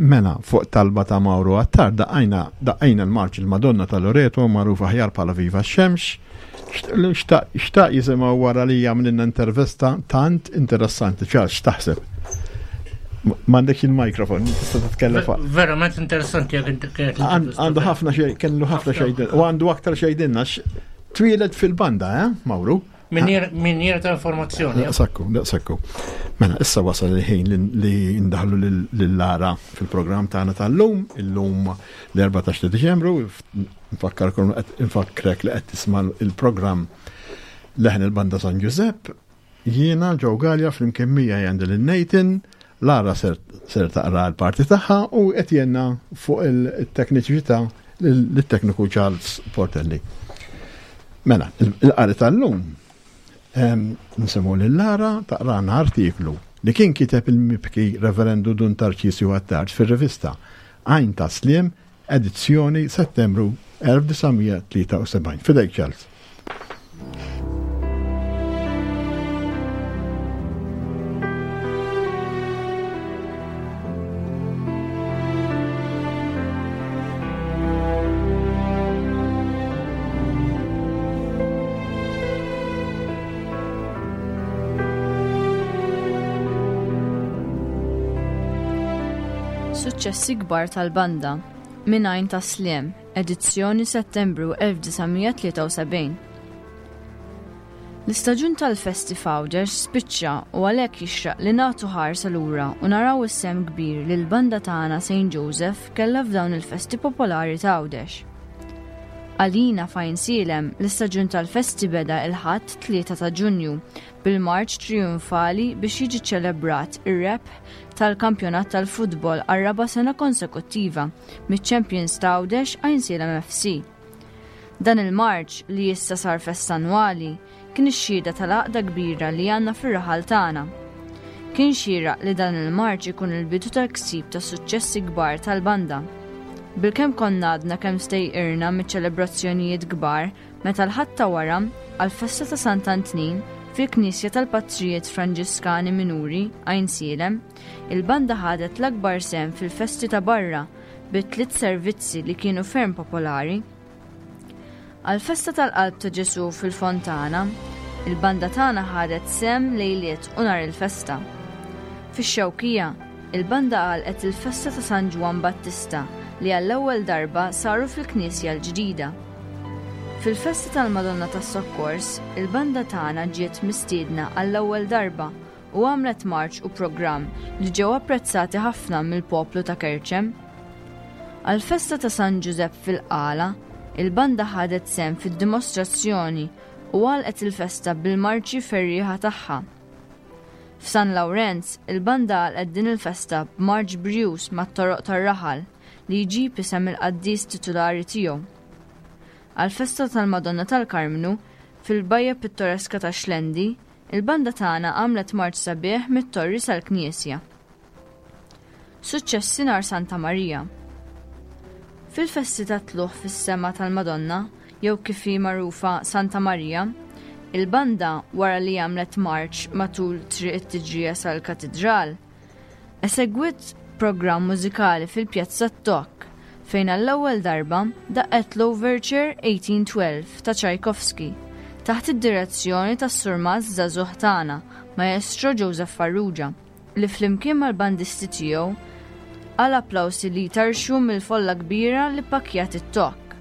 Mela, fuq talba ta' Mauro Attard daqqajna daqqajna l-marċ il-Madonna ta' Loreto magħruf aħjar bħala Viva x-Xemx. Xtaq jisimgħu wara li jagħmlilna intervista tant interessanti. Charles, x'taħseb? M'għandekx il-mikrofon, tista' titkellem fuq. Verament interessanti jekk inti kienet. Għandu ħafna xejn, kellu ħafna xejn u għandu aktar xejdinna. Twieled fil-banda, eh, Mauro? Minjera ta' informazzjoni. Daqsakku, daqsakku. Mela, issa wasal il-ħin li ndaħlu lil-Lara fil-programm tagħna tal-lum, illum l-14 ta' Diċembru, nfakkarkom nfakkrek li qed tisma' il-programm Leħen il-Banda San Giuseppe, jiena Joe Gallia flimkien miegħi għandi lil Nathan, Lara ser taqra l-parti tagħha u qed jenna fuq il-tekniċità lit-tekniku Charles Portelli. Mela, il-qari tal-lum nsemmu lil Lara taqrana artiklu li kien kiteb il-mibki Reverendu Dun Tarċisju Attard fir-rivista Għajn ta' Sliem edizzjoni Settembru 1973. Fidejk Charles. Suċċessi kbar tal-banda, Minn Għajn tas-Sliem, edizzjoni Settembru 1973. L-istaġun tal-festi f'Għawdex spiċċa u għalhekk jixraq li nagħtu ħarsa lura u naraw is-sehem kbir li l-banda tagħna St. Joseph kellha f'dawn il-festi popolari ta' Għawdex. Għalina f'Għajnsielem, l-istaġun tal-festi beda il-Ħadd 3 ta' Ġunju bil-marċ trijunfali biex jiġi ċċelebrat ir-rebħ tal-kampjonat tal-futbol għar-raba' sena konsekuttiva miċ-champions ta' Għawdex Għajnsielem FC. Dan il-marċ, li issa sar festa annwali, kien ix-xhieda tal-għaqda kbira li għandna fir-raħal tagħna. Kien xieraq li dan il-marċ ikun il-bidu tal-ksib ta' suċċessi kbar tal-banda. Bilkemm konna għadna kemm stejqirna miċ-ċelebrazzjonijiet kbar meta l-Ħadd ta' wara, għall-festa ta' Sant'Antnin, fil-Knisja tal-Patrijiet Franġiskani Minuri, Għajnsielem, il-banda ħadet l-akbar sehem fil-festi ta' barra bi tliet servizzi li kienu ferm popolari. Għall-festa tal-Qalb ta' Ġesù fil-Fontana, il-banda tagħna ħadet sehem lejliet u nhar il-festa. Fix-Xewkija, il-banda għalqet il-festa ta' San Ġwann Battista li għall-ewwel darba saru fil-knisja l-ġdida. Fil-festa tal-Madonna tas-Sokkors, il-banda tagħna ġiet mistiedna għall-ewwel darba u għamlet marċ u programm li ġew apprezzati ħafna mill-poplu ta' Kerċem. Għall-festa ta' San Ġużepp fil-Qala, il-banda ħadet sehem fid-dimostrazzjoni u għalqet il-festa bil-marċi ferrieħa tagħha. F'San Lawrenz, il-banda għalqet din il-festa b'marċ brijuż mat-toroq tar-raħal li jġib isem il-qaddis titulari tiegħu. Għall-festa tal-Madonna tal-Karmnu, fil-bajja pittoreska tax-Xlendi, Il-banda tagħna għamlet marċ sabiħ mit-torri sal-knisja. Suċċessi nhar Santa Marija. Fil-festi tat-tlugħ fis-sema tal-Madonna, jew kif hi magħrufa Santa Marija, il-banda wara li għamlet marċ matul Triq it-Tiġrija sal-Katidral, Esegwiet programm mużikali fil-Pjazza Tok, fejn għall-ewwel darba daqqet l-Overture 1812 ta' Tchaikovsky, taħt id-direzzjoni tas-surmast żagħżugħ tagħna, Maestro Joseph Farrugia, li flimkien mal-bandisti tiegħu qal applawsi li jtarrxu mill-folla kbira li ppakkjat it-Tok.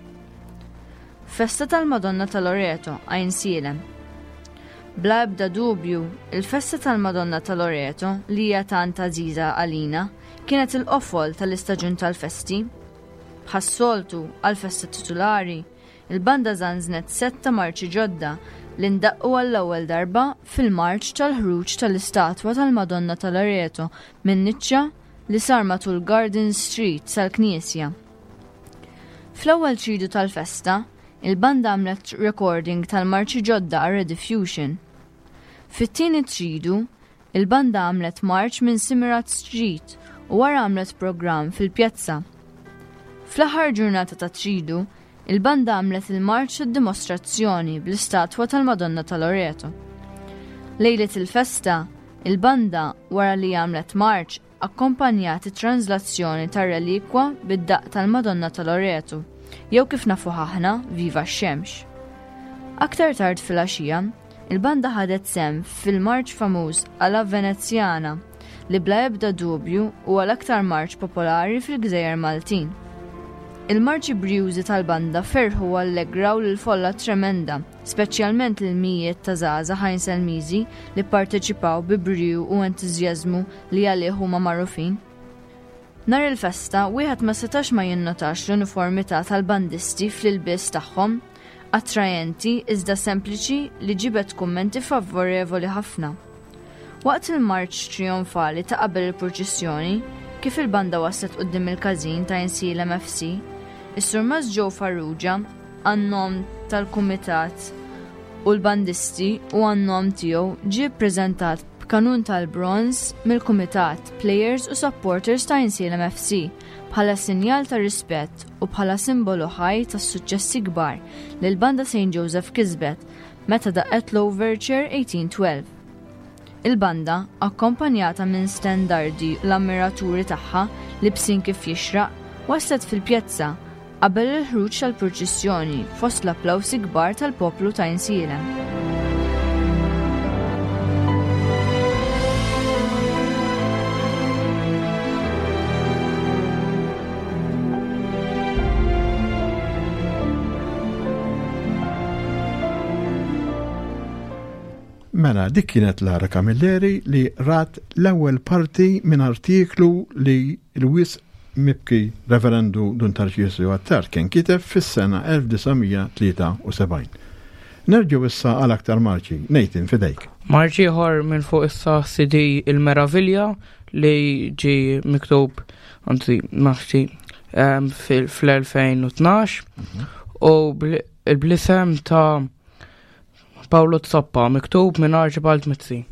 Festa tal-Madonna ta' Loreto, Għajnsielem. Bla ebda dubju, il-festa tal-Madonna ta' Loreto, li hija tant għażiża għalina, kienet il-qofol tal-istaġun tal-festi. Bħas-soltu, għall-festa titulari, il-banda żanżnet sett ta' marċi ġodda li ndaqqu għall-ewwel darba fil-marċ tal-ħruġ tal-istatwa tal-Madonna ta' Loreto min-niċċa li sar matul Garden Street sal-knisja. Fl-ewwel tridu tal-festa, il-banda għamlet recording tal-marċi ġodda għal Rediffusion. Fit-tieni tridu, il-banda għamlet marċ minn Simirat Street u wara għamlet programm fil-pjazza. Fl-aħħar ġurnata ta' tridu, il-banda għamlet il-marċ tad-dimostrazzjoni bl-istatwa tal-Madonna ta' Loreto. Lejliet il-festa, il-banda, wara li għamlet marċ, akkompanjat it-tranżlazzjoni tar-relikwa bid-daqq tal-Madonna ta' Loretu, jew kif nafuh aħna, Viva x-Xemx. Aktar tard filgħaxija, il-banda ħadet sehem fil-marċ famuż alla Veneziana, li bla ebda dubju huwa l-aktar marċ popolari fil-gżejjer Maltin. Il-marċi brijużi tal-banda ferrħu u allegraw lill-folla tremenda, speċjalment lill-mijiet ta' żgħażagħ Għajnselmiżi li pparteċipaw bi briju u entużjażmu li għalih huma magħrufin. Nhar il-festa, wieħed ma setax ma jinnotax l-uniformità tal-bandisti fl-ilbies tagħhom, attrajenti iżda sempliċi li ġibed kummenti favorevoli ħafna. Waqt il-marċ trijonfali ta' qabel il-purċissjoni, kif il-banda waslet quddiem il-każin ta' Insielem FC, is-Surmast Joe Farrugia, għan-nom tal-kumitat u l-bandisti u għan-nom tiegħu ġie ppreżentat b'kanun tal-bronż mill-kumitat, plejers u supporters ta' Insielem FC bħala sinjal ta' rispett u bħala simbolu ħaj tas-suċċessi kbar li l-Banda St. Joseph kisbet meta daqqet l-Overture 1812. Il-banda, akkompanjata minn stendardi u l-ammiraturi tagħha libsin kif jixraq, waslet fil-pjazza qabel il-ħruġ tal-purċissjoni fost l-applawsi kbar tal-poplu ta' Għajnsielem. Mela, dik kienet Lara Camilleri li rat l-ewwel parti minn artiklu li l-wisq mibki Reverendu Dun Tarċisju Attard kien kiteb fis-sena 1973. Nerġgħu issa għal aktar marċi. Nathan, fidejk. Marċ ieħor minn fuq issa CD Il-Meravilja li ġie miktub, anzi, maħti, fl-2012 u bl-isem ta' Paolo Zoppa, miktub minn Archibald Mizzi.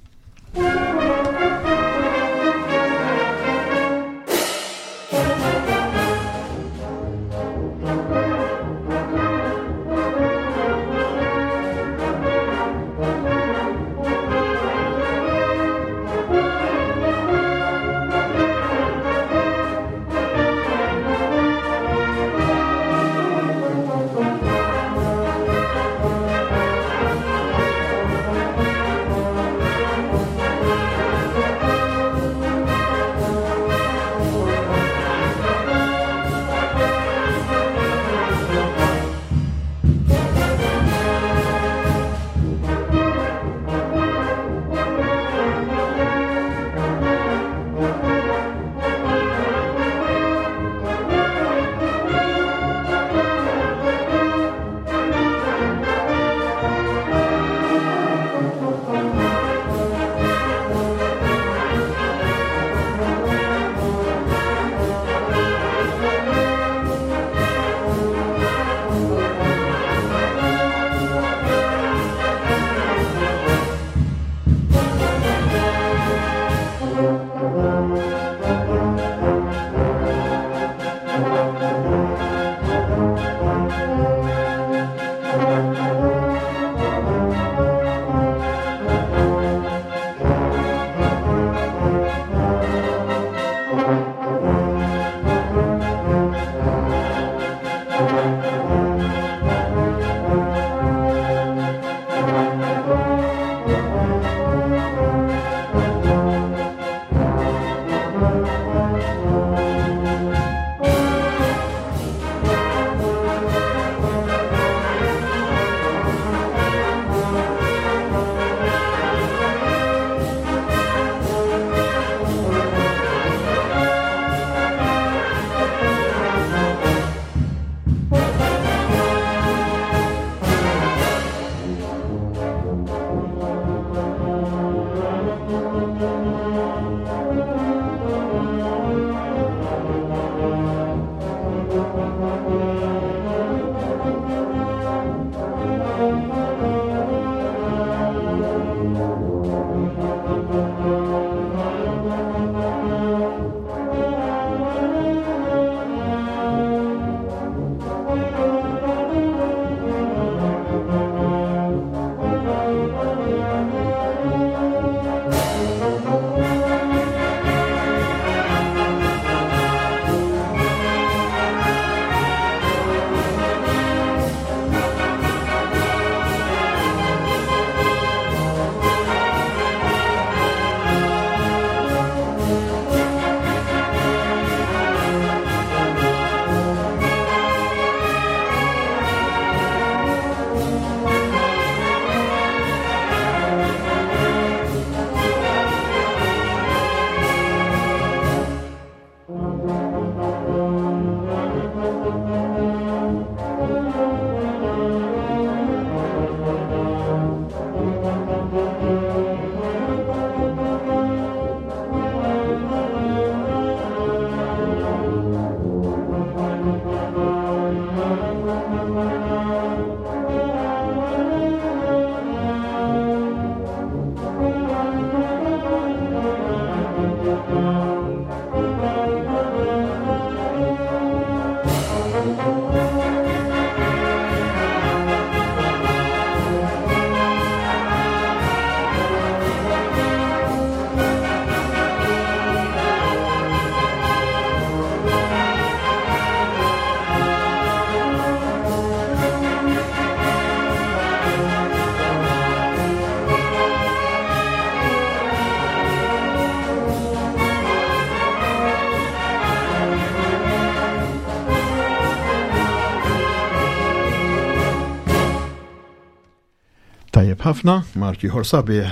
Tajjeb ħafna, marċ ieħor sabiħ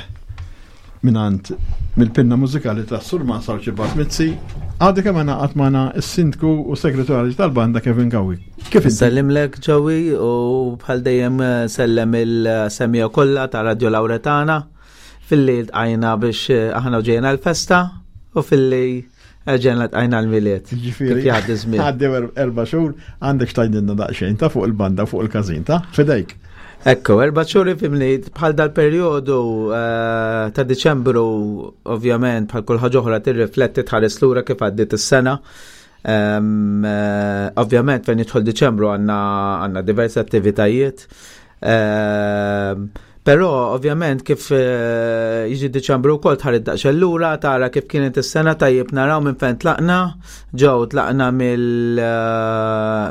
minant mill-pinna mużikali ta' Surma Sarċi Bart Mizzi, għadu kemm għaqad magħna s-sindku u segretarju tal-banda Kevin Gawi. Kif Sellimlek Joey u bħal dejjem eh, sellem il-semija kollha ta' Radio Lauretana filli tqajna biex eh, aħna ġejna l-festa u filli Ġen la tqajna l-miliet. Ġifieri. Jgħaddi żmien. Għaddi erba' xhur għandek xtajdilna daqsxejn ta' fuq il-banda fuq il-każin ta' fidejk. Ekku, erba' xhur ifimni bħal dal-perjodu eh, ta' Diċembru ovvjament bħal kull ħaġa oħra tirrifletti tħares lura kif għaddiet is-sena. Eh, ovvjament fejn jidħol Diċembru għandna diversi attivitajiet. Però ovvjament kif eh, jiġi Diċembru wkoll tħarid daqsxejn lura tara kif kienet is-sena tajjeb naraw minn fejn tlaqna, ġew tlaqna eh,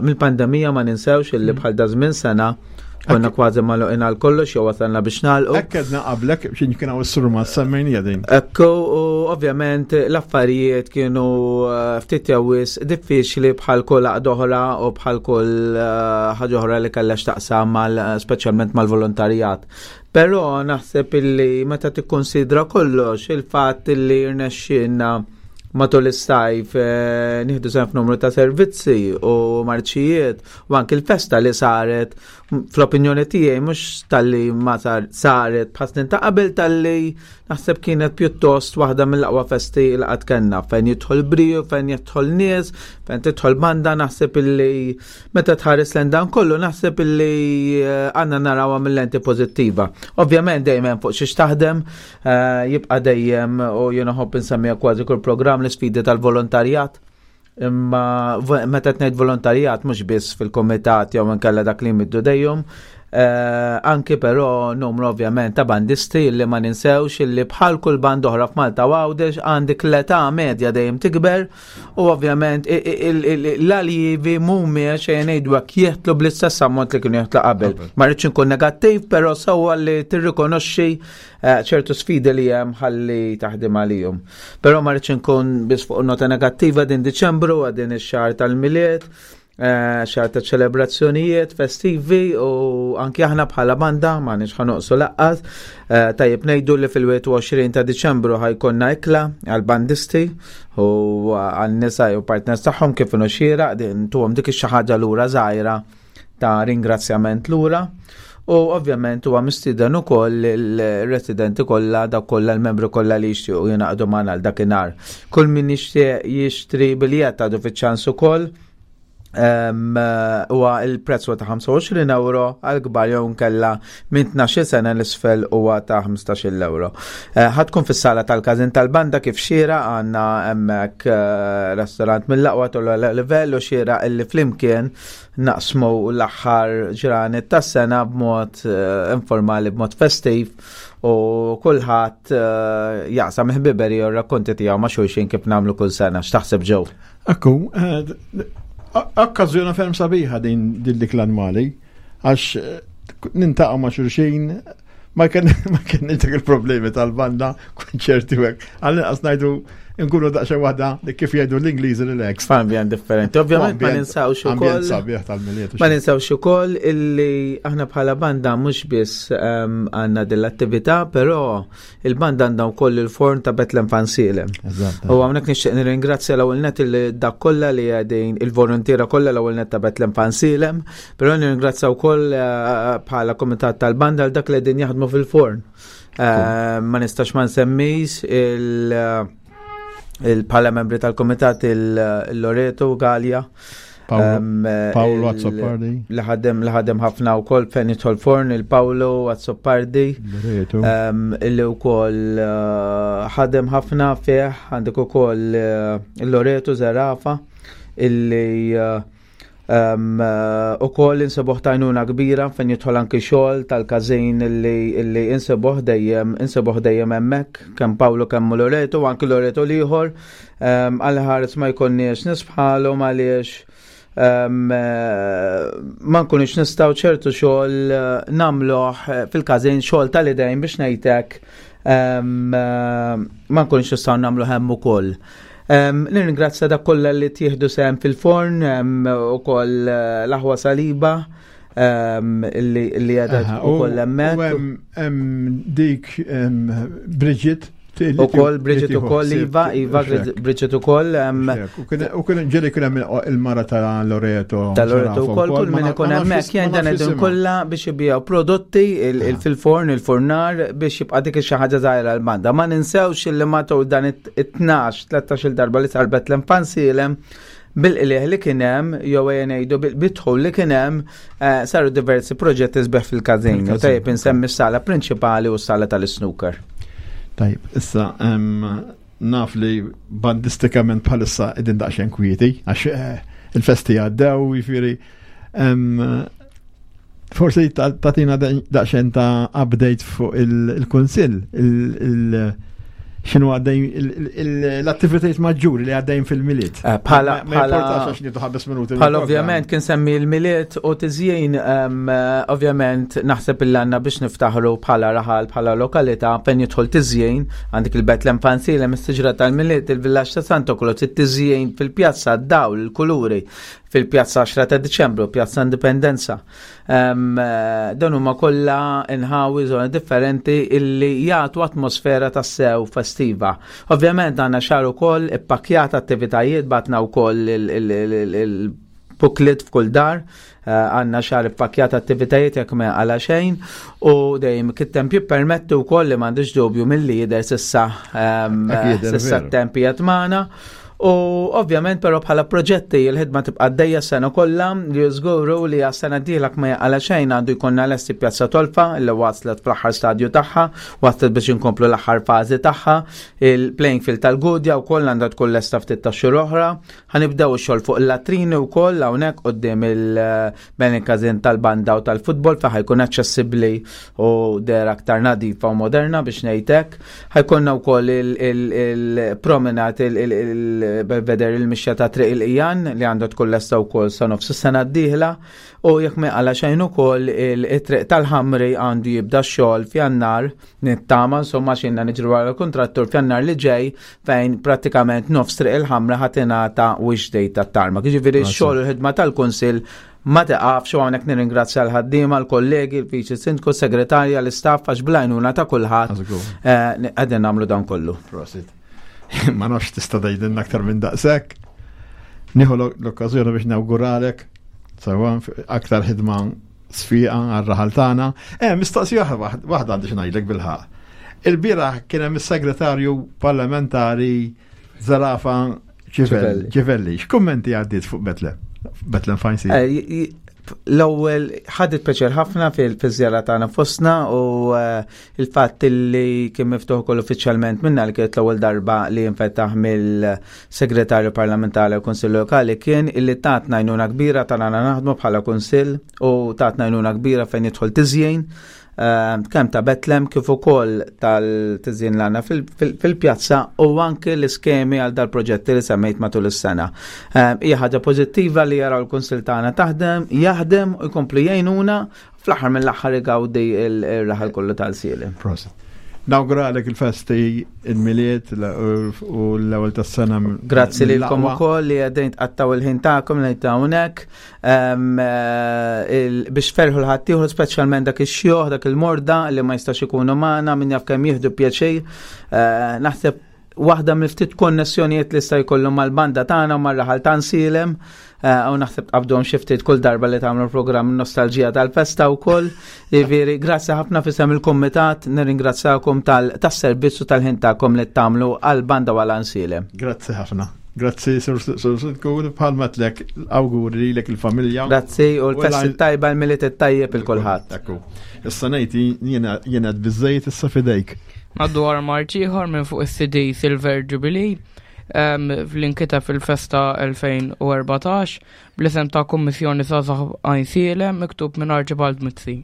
mill-pandemija ma ninsewx illi mm. bħal dażmin sena konna kważi magħluqin għal kollox jew wasalna biex nagħlqu. Hekk edna qablek x'in kien hawn is-surma semmejnija din. Ekku u ovvjament l-affarijiet kienu eh, ftit jew wisq diffiċli bħal kull għaqda oħra u bħal kull eh, ħaġa oħra li kellha x'taqsam mal speċjalment mal-volontarjat. Però naħseb illi meta tikkonsidra kollox il-fatt illi rnexxielna matul is-sajf eh, nieħdu sehem f'numru ta' servizzi u marċijiet u anki l-festa li saret fl-opinjoni tiegħi mhux talli ma saret bħal snin ta' qabel talli Naħseb kienet pjuttost waħda mill-aqwa festi li qatt kellna fejn jidħol briju, fejn jidħol nies, fejn tidħol banda, naħseb illi meta tħares lejn dan kollu naħseb illi eh, għandna narawha mill-lenti pożittiva. Ovvjament dejjem hemm fuq xiex taħdem, eh, jibqa' dejjem u jiena ħobb insemmiha kważi kull programm l-isfidi tal-volontarjat. Imma meta tnejt volontarjat mhux biss fil-kumitat jew inkella dak li jmiddu dejjem, eh, anki però numru ovvjament ta' bandisti li ma ninsewx illi bħal kull band oħra f'Malta u Għawdex għandek l-età medja dejjem tikber u ovvjament l-aljivi mhumiex xejn ngħidu hekk jeħtlu bl-istess ammont li kienu jeħtlu qabel. Ma rridx inkun negattiv, però sewwa li tirrikonoxxi eh, ċertu sfidi li hemm ħalli taħdem għalihom. Però ma rridx inkun biss fuq nota negattiva din Diċembru għad din ix-xahar tal-Milied, eh, xahar ta' ċelebrazzjonijiet festivi u anki aħna bħala banda ma nix ħanoqsu laqqas. Eh, tajjeb ngħidu li fil-21 ta' Diċembru ħajkonna ikla għal-bandisti u għal-nisa u partners tagħhom kif inhu xieraq din tuhom dik ix-xi ħaġa lura żgħira ta' ringrazzjament lura u ovvjament huwa mistieden ukoll il-residenti kollha dak kollha l-membri kollha li jixtiequ jingħaqdu magħna għal dakinhar. Kull min jixtieq jixtri biljett għadu fiċ-ċans ukoll huwa il-prezz huwa ta' 25 euro għal kbar jew nkella minn 12 sena l-isfel huwa ta' 15 euro. Eh, ħatkun fis-sala tal-każin tal-banda kif xira għandna hemmhekk eh, restorant mill-aqwa tollu livell u xira illi flimkien naqsmu l-aħħar ġranet tas-sena b'mod eh, informali, b'mod festiv u kulħadd eh, jaqsam ħbiberi u rakkonti tiegħu ma' xulxin kif nagħmlu kull sena. X'taħseb ġew? Akku, eh, okkażjoni ferm sabiħa din din dik l-annwali għax nintaqgħu ma' xulxin ma kien dak il-problemi tal-banda konċerti u hekk. Għall-inqas ngħidu nkunu daqsxejn waħda li kif jgħidu l-Ingliżi relax. F'ambjent differenti. Ovvjament ma ninsawx ukoll. sabiħ tal-miliet. Ma ninsawx ukoll illi aħna bħala banda mhux biss ehm, għandna din l-attività, però Il-banda għandha wkoll il-forn ta' Betlem Fansielem. U hawnhekk nixtieq nirringrazzja l-ewwel net il dak kollha li qegħdin il-volontiera kollha l-ewwel net ta' Betlem Fansielem, però nirringrazzja wkoll eh, bħala kumitat tal-banda għal dak li qegħdin jaħdmu fil-forn. Eh, ma nistax ma nsemmis il- il-bħala membri tal-komitat il-Loreto Gallia. Paolo Azzopardi. Li ħadem li ħadem ħafna wkoll fejn jidħol forn il-Paolo Azzopardi. Illi wkoll eh, ħadem ħafna fih għandek ukoll eh, il-Loreto Zerafa illi eh, u koll insebuħ tajnuna kbira fejn jidħol anki xogħol tal-każin illi insebuħ dejjem insebuħ dejjem hemmhekk kemm Paolo kemm Loreto anki Loreto l-ieħor Għal ħares ma jkollniex nies bħalhom għaliex eh, ma nkunux nistgħu ċertu xogħol eh, nagħmluh eh, fil-każin xogħol tal-idejn biex ngħidlek ma nkunux nistgħu nagħmlu hemm ukoll. Nirringrazzja dak kollha li tieħdu sehem fil-forn ukoll l-aħwa Saliba. li qiegħda ukoll hemmhekk. Hemm dik Bridget U koll Bridget u koll Iva, Iva Bridget u koll. U kien ġeli kien hemm il-mara ta' Loreto. Ta' Loreto u koll, kull min ikun hemmhekk jgħin dan id kollha biex ibijaw prodotti fil-forn, il-fornar biex jibqa' dik xi ħaġa żgħira l-banda. Ma ninsewx li matul dan it-12, 13 darba li sar Bethlehem Fansilem bil-qliħ li kien hemm jew ejja ngħidu bil-dħul li kien hemm eh, saru diversi proġetti sbeħ fil-każin. U tajjeb insemmi s-sala prinċipali u s-sala tal-snooker. Tajjeb, issa naf li bandistikament bħalissa qegħdin daqsxejn kwieti għax eh, il-festi għaddew, jiġifieri forsi tatina daqsxejn ta' update fuq il-kunsill, xinu għaddejn l-attivitajiet maġġuri li għaddejn fil-miliet. Eh, bħala bħala ovvjament kien semmi l-miliet u tiżjien eh, ovvjament naħseb il-għanna biex niftaħru bħala raħal bħala lokalità fejn jidħol tiżjien għandek il-Betlem Fansile mis-siġra tal-miliet il-villaġġ ta' Santo Claus it-tiżjien fil-pjazza d-dawl il-kuluri fil-Pjazza 10 ta' Diċembru, Pjazza Indipendenza. Eh, dan huma kollha inħawi żoni differenti illi jagħtu atmosfera ta' sew festiva. Ovvjament għandna xahar ukoll ippakkjat attivitajiet batna wkoll il-booklet f'kull dar, eh, għandna xahar ippakkjat attivitajiet jekk ma għala xejn u dejjem kit-temp jippermetti wkoll li m'għandix dubju milli jidher sissa sissa t-temp qiegħed magħna. U ovvjament però bħala proġetti il-ħidma tibqa' għaddejja s-sena kollha li żguru li għas-sena d-dieħla ma jaqala xejn għandu jkollna lesti Pjazza Tolfa li waslet fl-aħħar stadju tagħha, waslet biex inkomplu l-aħħar fażi tagħha, il-playing field tal-Gudja wkoll għandha tkun lesta ftit ta' xhur oħra. Ħanibdew ix-xogħol fuq il-latrini wkoll hawnhekk quddiem il-ben il-każin tal-banda u tal-futbol fejn ħajkun aċċessibbli u dera aktar nadifa u moderna biex ngħidlek. Ħajkonna wkoll il-promenat il-belveder il-mixja ta' Triq il-Qijan li għandha tkun lesta wkoll sa nofs is-sena d-dieħla u jekk ma jqala xejn ukoll it-triq tal-Ħamri għandu jibda x-xogħol f'Jannar nittama insomma xinna niġru wara l-kuntrattur f'Jannar li ġej fejn prattikament nofs Triq il-Ħamra ħa tingħata wish date tat-tarmak. Jiġifieri x-xogħol u l-ħidma tal-Kunsill Ma tiqafx u hawnhekk nirringrazzja l-ħaddiema, l-kollegi, il-Viċi Sindku, s-Segretarja, l-istaff għax bl-għajnuna ta' kulħadd eh, qegħdin nagħmlu dan kollu. Prosit. Ma nafx tista' tgħidilna aktar minn daqshekk. Nieħu l-okkażjoni biex nawguralek sewa aktar ħidma sfiqa għar-raħal tagħna. Eh, mistoqsija waħda għandi xi ngħidlek bil-ħaq. Il-bieraħ kien hemm is-segretarju parlamentari Zarafa Ċivelli, x'kummenti għaddiet fuq Betlem? Betlem Fine Sea. Eh, l-ewwel ħadet peċer ħafna fil-żjara tagħna fostna u eh, il-fatt li kien miftuħ ukoll uffiċjalment minna li kienet l-ewwel darba li jinfetaħ mill-Segretarju Parlamentari u Kunsill Lokali kien illi tatna għajnuna kbira tagħna naħdmu bħala Kunsill u tatna għajnuna kbira fejn jidħol tiżjien Ehm, kemm ta' Betlem kif ukoll tal-tiżjin l-għandna fil-pjazza u anke l-iskemi għal dal-proġetti li semmejt matul is-sena. Ehm, hija ħaġa pożittiva li jaraw il-Kunsil tagħna taħdem, jaħdem u jkomplu jgħinuna fl-aħħar mill-aħħar igawdi il-raħal kollu tal-sieli. Prosit. Nawguralek il-festi, il-miliet u l-ewwel tas-sena. Grazzi lilkom ukoll li qegħdin tqattaw il-ħin tagħkom li hawnhekk. Eh, biex ferħu l-ħaddieħor speċjalment dak ix-xjuħ, dak il-morda li ma jistax ikunu magħna min jaf kemm jieħdu pjaċir. Eh, naħseb waħda mill-ftit konnessjonijiet li sta jkollhom mal-banda tagħna u mar-raħal ta' Nsielem eh, u naħseb tqabdhom xi ftit kull darba li tagħmlu programm nostalġija tal-festa wkoll. Jiġifieri grazzi ħafna fisem il-kumitat, nirringrazzjakom tas-servizz u tal-ħin tagħkom li tagħmlu għall-banda u għal Ansielem. Grazzi ħafna. Grazzi, Sir Sirku, bħalma tlek awguri lilek il-familja. Grazzi, u l-festi tajba l-miliet tajjeb il-kulħadd. Ekku. Issa ngħid jiena biżejjed issa fidejk. Naddu għal marċ ieħor minn fuq is-CD Silver Jubilee fl-inkita fil-festa 2014 bl-isem ta' Kummissjoni Żgħażagħ Għajnsielem miktub minn Archibald Mizzi.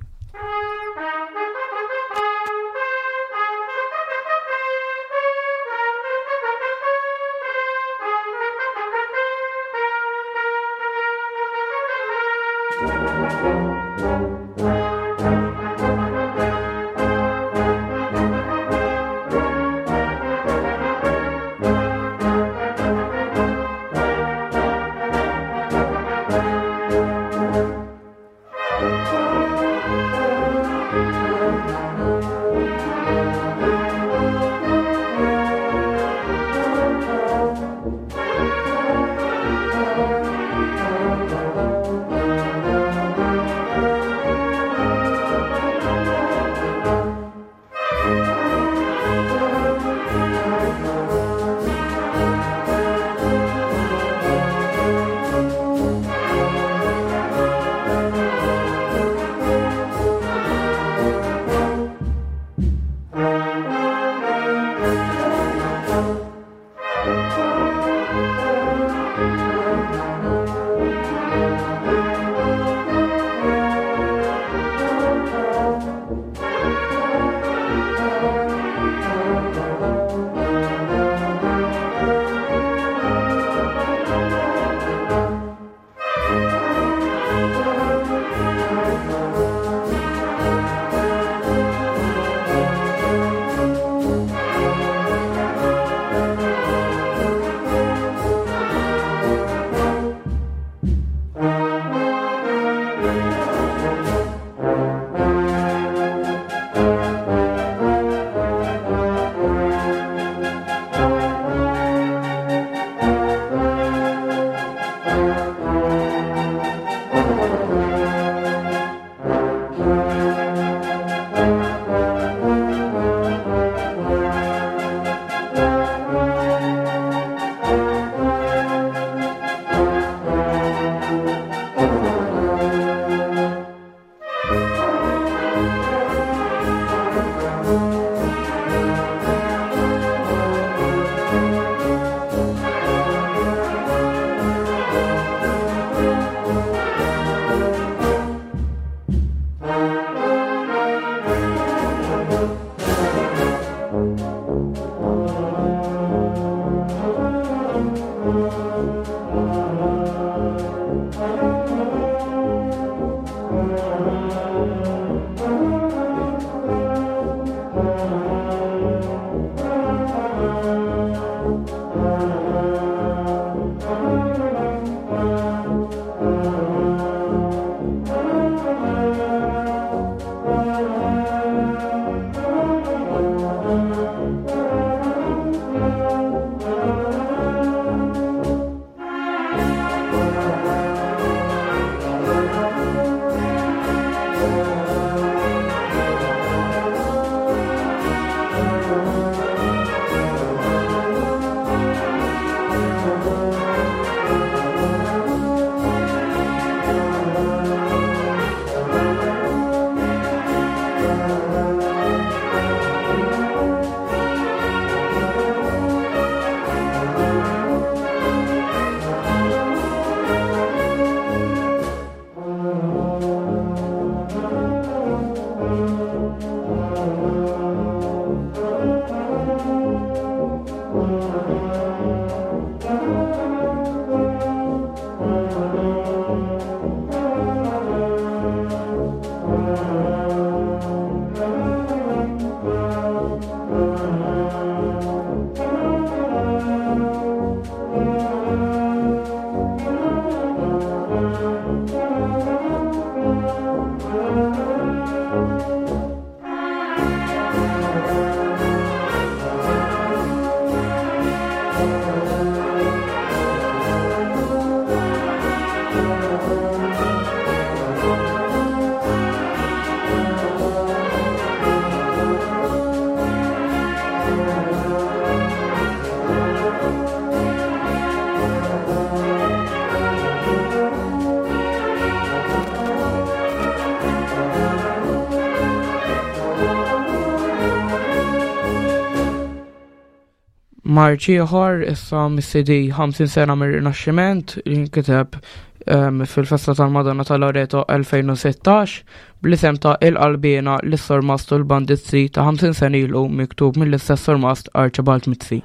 Marċ ieħor issa mis-CD 50 sena mir-Rinaxximent li nkiteb ehm, fil-festa tal-Madonna ta' Loreto 2016 bl-isem ta' Il-Qalbiena lis-Surmast u l-Bandizzi ta' 50 sena ilu miktub mill-istess Surmast Archibald Mizzi.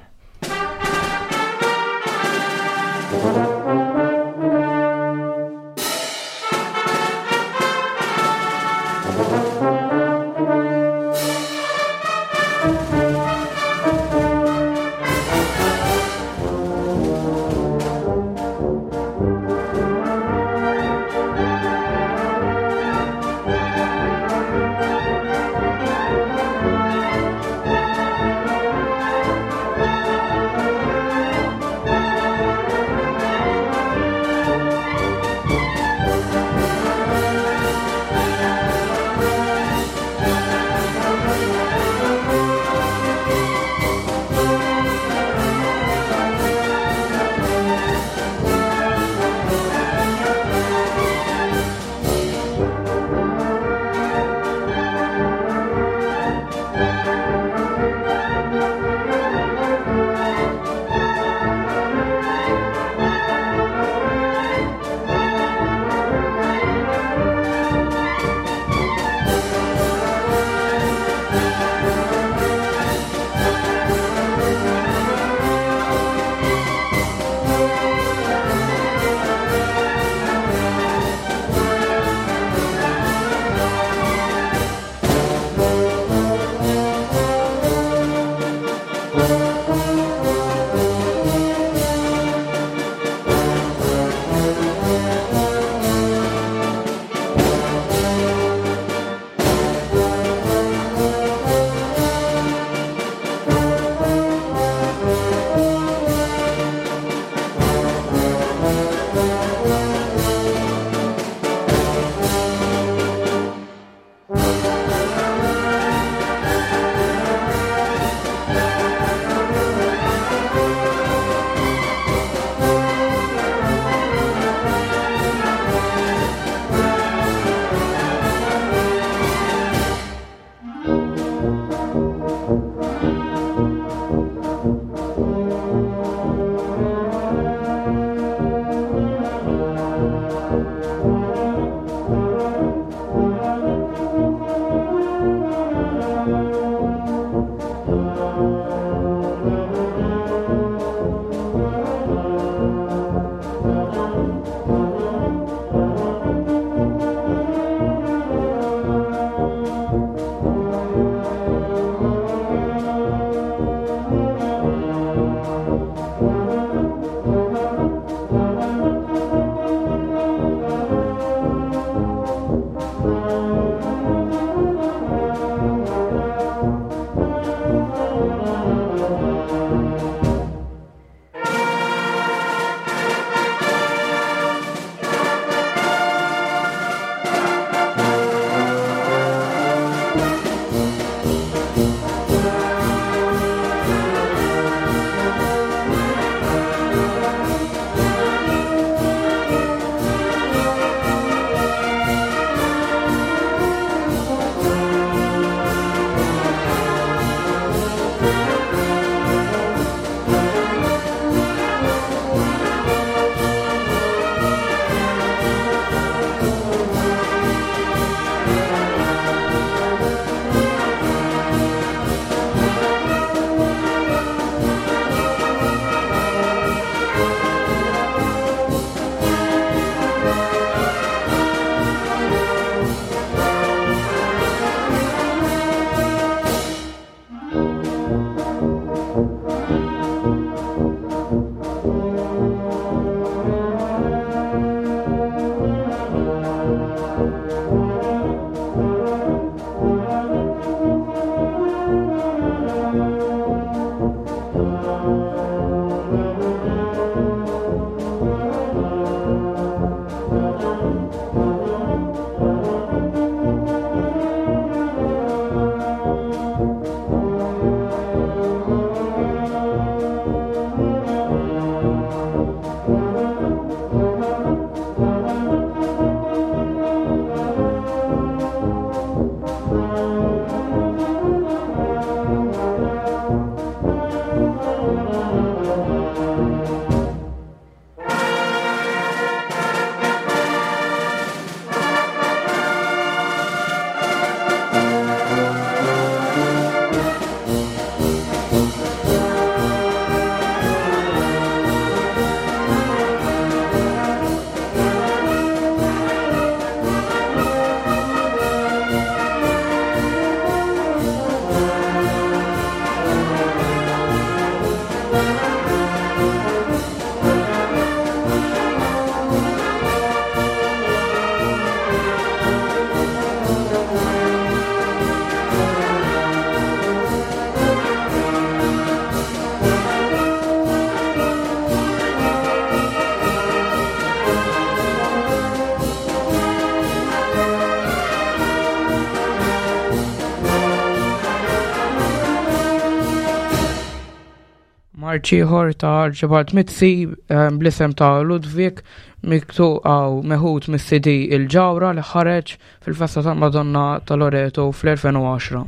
Marċ ieħor ta' Archibald Mizzi eh, bl-isem ta' Ludwig miktub għaw meħud mis-CD Il-Ġawra li ħareġ fil-festa tal-Madonna ta' Loreto fl-2010.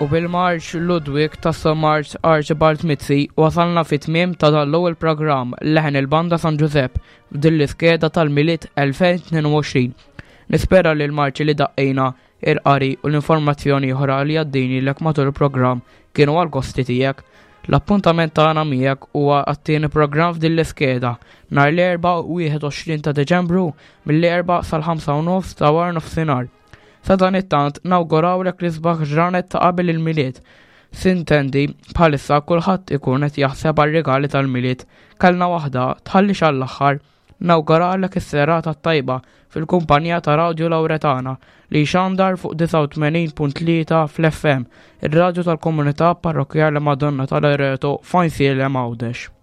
U bil-marċ Ludwig tas Marċ Archibald Mizzi wasalna fit tmiem ta' dan l-ewwel programm Leħen il-Banda San Ġużepp f'din l-iskeda tal-Milied 2022. Nispera li l-marċi li daqqejna il-qari u l-informazzjoni oħra li għaddejnilek matul il-programm kienu għall-gosti tiegħek. L-appuntament tagħna miegħek huwa għat-tieni programm f'din l-iskeda nhar l-Erbgħa 21 ta' Deċembru mill-4 sal-5 u nofs ta' wara nofsinhar. Sadanittant nawgurawlek l-isbaħ ġranet ta' qabel il-Milied. Sintendi, bħalissa kulħadd ikun qed jaħseb għar-rigali tal-Milied. Kellna waħda, tħallix għall-aħħar. Nawguralek is-serata t-tajba fil-kumpanija ta' Radju Lawretana li jxandar fuq 89.3 fl-FM, ir-radju tal-komunità parrokkjali Madonna ta' Loreto f'Għajnsielem Għawdex.